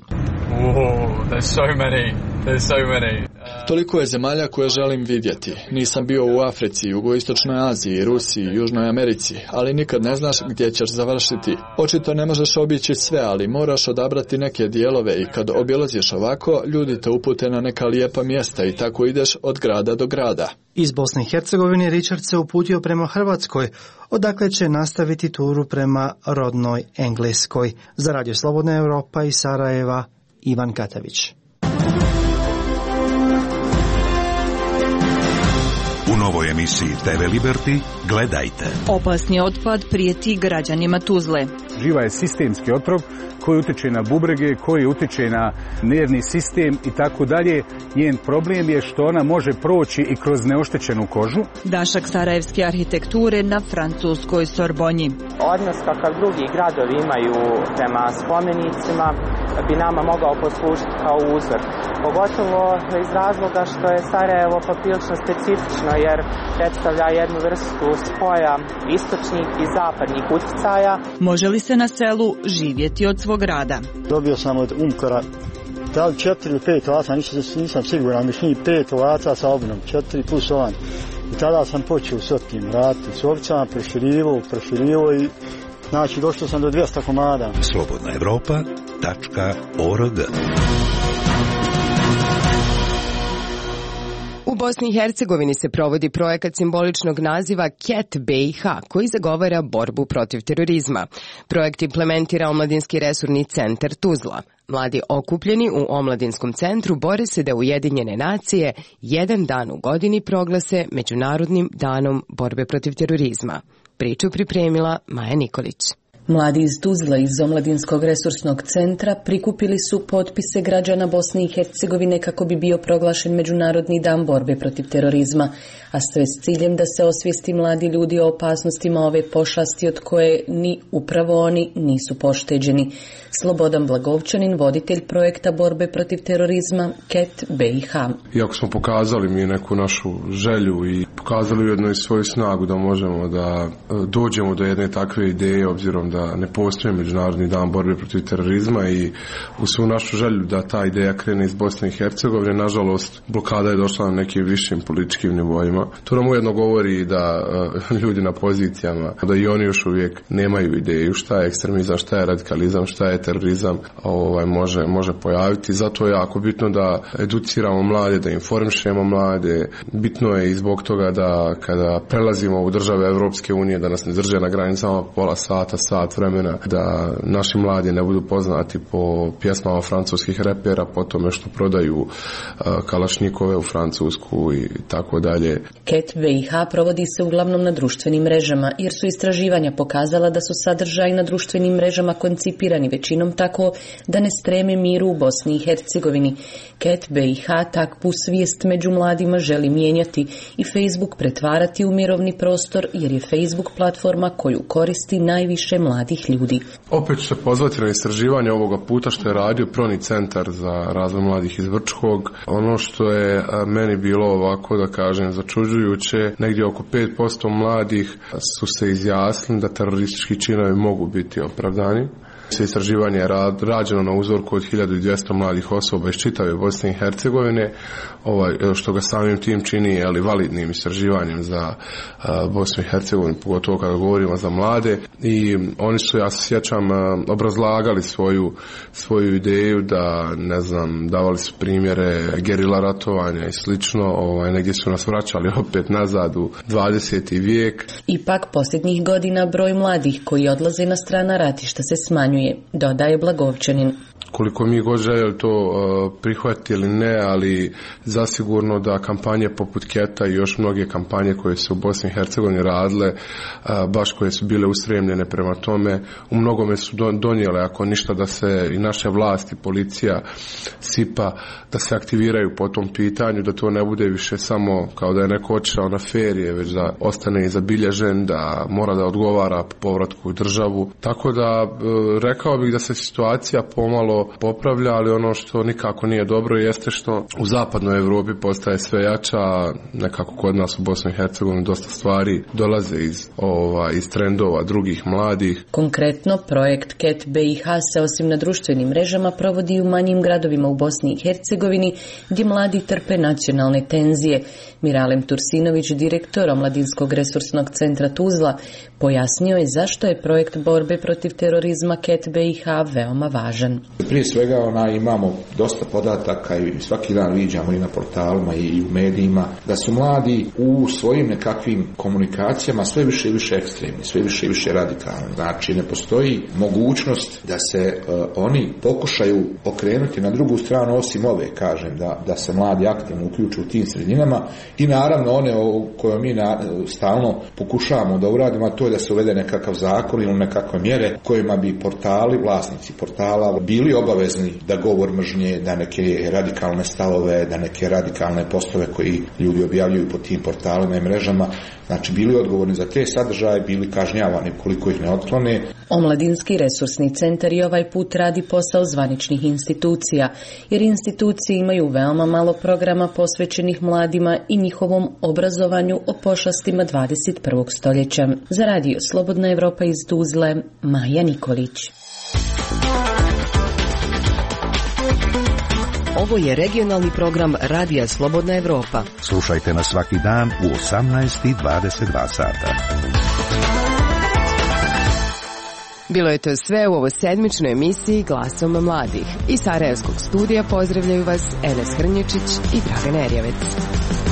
Oh, there's so many. There's so many. Toliko je zemalja koje želim vidjeti. Nisam bio u Africi, Jugoistočnoj Aziji, Rusiji, Južnoj Americi, ali nikad ne znaš gdje ćeš završiti. Očito ne možeš obići sve, ali moraš odabrati neke dijelove i kad obilaziš ovako, ljudi te upute na neka lijepa mjesta i tako ideš od grada do grada. Iz Bosne i Hercegovine Richard se uputio prema Hrvatskoj, odakle će nastaviti turu prema rodnoj Engleskoj. Za Radio Slobodna Evropa iz Sarajeva, Ivan Katavić. U novoj emisiji te ve Liberty gledajte. Opasni otpad prijeti građanima Tuzle. Živa je sistemski otrov koji utiče na bubrege, koji utiče na nervni sistem i tako dalje. Njen problem je što ona može proći i kroz neoštećenu kožu. Dašak sarajevske arhitekture na francuskoj Sorbonji. Odnos kakav drugi gradovi imaju prema spomenicima bi nama mogao poslužiti kao uzor. Pogotovo iz razloga što je Sarajevo poprilično specifično jer predstavlja jednu vrstu spoja istočnih i zapadnih utjecaja. Može li se na selu živjeti od svog rada? Dobio sam od Umkora da li četiri ili pet ovaca, nisam, nisam siguran, mislim pet ovaca sa obnom, četiri plus ovan. I tada sam počeo s otkim raditi, s ovcama, proširivo, proširivo i znači došao sam do dvjesto komada. slobodna evropa tačka org. U Bosni i Hercegovini se provodi projekat simboličnog naziva C E T B i H, koji zagovara borbu protiv terorizma. Projekt implementira Omladinski resurni centar Tuzla. Mladi okupljeni u Omladinskom centru bore se da Ujedinjene nacije jedan dan u godini proglase Međunarodnim danom borbe protiv terorizma. Priču pripremila Maja Nikolić. Mladi iz Tuzla iz Omladinskog resursnog centra prikupili su potpise građana Bosne i Hercegovine kako bi bio proglašen Međunarodni dan borbe protiv terorizma, a sve s ciljem da se osvijesti mladi ljudi o opasnostima ove pošasti od koje ni upravo oni nisu pošteđeni. Slobodan Blagovčanin, voditelj projekta borbe protiv terorizma C E T B i H. Iako smo pokazali mi neku našu želju i pokazali ujedno i svoju snagu da možemo da dođemo do jedne takve ideje, obzirom da ne postoji Međunarodni dan borbe protiv terorizma, i u svu našu želju da ta ideja krene iz Bosne i Hercegovine, nažalost blokada je došla na nekim višim političkim nivoima. To nam ujedno govori da uh, ljudi na pozicijama, da i oni još uvijek nemaju ideju šta je ekstremizam, šta je radikalizam, šta je terorizam, ovaj, može, može pojaviti. Zato je jako bitno da educiramo mlade, da informišemo mlade. Bitno je i zbog toga da kada prelazimo u države Evropske unije, da nas ne drže na granicama pola sata, sat vremena, da naši mladi ne budu poznati po pjesmama francuskih repera, po tome što prodaju uh, kalašnjikove u Francusku i tako dalje. C E T B i H provodi se uglavnom na društvenim mrežama, jer su istraživanja pokazala da su sadržaji na društvenim mrežama koncipirani većinom tako da ne streme miru u Bosni i Hercegovini. C E T B i H takvu svijest među mladima želi mijenjati i Facebook pretvarati u mirovni prostor, jer je Facebook platforma koju koristi najviše mladih ljudi. Opet ću se pozvati na istraživanje ovoga puta što je radio Proni centar za razvoj mladih iz Vrčkog. Ono što je meni bilo ovako, da kažem, začuđujuće, negdje oko pet posto mladih su se izjasnili da teroristički činovi mogu biti opravdani. Istraživanje je rađeno na uzorku od hiljadu dvjesto mladih osoba iz čitave Bosne i Hercegovine, ovaj, što ga samim tim čini ali validnim istraživanjem za uh, Bosnu i Hercegovinu, pogotovo kada govorimo za mlade. I oni su, ja se sjećam, uh, obrazlagali svoju, svoju ideju da, ne znam, davali su primjere gerila ratovanja i slično, ovaj, negdje su nas vraćali opet nazad u dvadeseti vijek. Ipak posljednjih godina broj mladih koji odlaze na strana ratišta se smanjuje, dodaje Blagovčanin. Koliko mi god željeli to uh, prihvatiti ili ne, ali zasigurno da kampanje poput Keta i još mnoge kampanje koje su u Bosni i Hercegovini radile, uh, baš koje su bile ustremljene prema tome, u mnogome su donijele, ako ništa, da se i naše vlasti, policija, SIPA, da se aktiviraju po tom pitanju, da to ne bude više samo kao da je neko otišao na ferije, već da ostane i zabilježen, da mora da odgovara po povratku u državu. Tako da uh, rekao bih da se situacija pomalo popravlja, ali ono što nikako nije dobro jeste što u zapadnoj Europi postaje sve jača, nekako kod nas u Bosni i Hercegovini dosta stvari dolaze iz, ova, iz trendova drugih mladih. Konkretno, projekt C E T B i H se osim na društvenim mrežama provodi u manjim gradovima u Bosni i Hercegovini gdje mladi trpe nacionalne tenzije. Miralem Tursinović, direktor Omladinskog resursnog centra Tuzla, pojasnio je zašto je projekt borbe protiv terorizma C E identitet be i ha veoma važan. Prije svega ona, imamo dosta podataka i svaki dan viđamo i na portalima i u medijima da su mladi u svojim nekakvim komunikacijama sve više i više ekstremni, sve više i više radikalni. Znači ne postoji mogućnost da se uh, oni pokušaju okrenuti na drugu stranu osim ove, kažem, da, da se mladi aktivno uključuju u tim sredinama i naravno one o koje mi na, stalno pokušavamo da uradimo, a to je da se uvede nekakav zakon ili nekakve mjere kojima bi portali, vlasnici portala bili obavezni da govor mržnje, da neke radikalne stavove, da neke radikalne postove koji ljudi objavljuju po tim portalima i mrežama, znači bili odgovorni za te sadržaje, bili kažnjavani koliko ih ne otklone. Omladinski resursni centar i ovaj put radi posao zvaničnih institucija, jer institucije imaju veoma malo programa posvećenih mladima i njihovom obrazovanju o pošastima dvadeset prvog stoljeća. Za radio Slobodna Evropa iz Tuzle, Maja Nikolić. Ovo je regionalni program Radija Slobodna Evropa. Slušajte nas svaki dan u osamnaest i dvadeset dva sata. Bilo je to sve u ovoj sedmičnoj emisiji Glasom mladih. Iz Sarajevskog studija pozdravljaju vas Enes Hrnječić i Dragan Erjavec.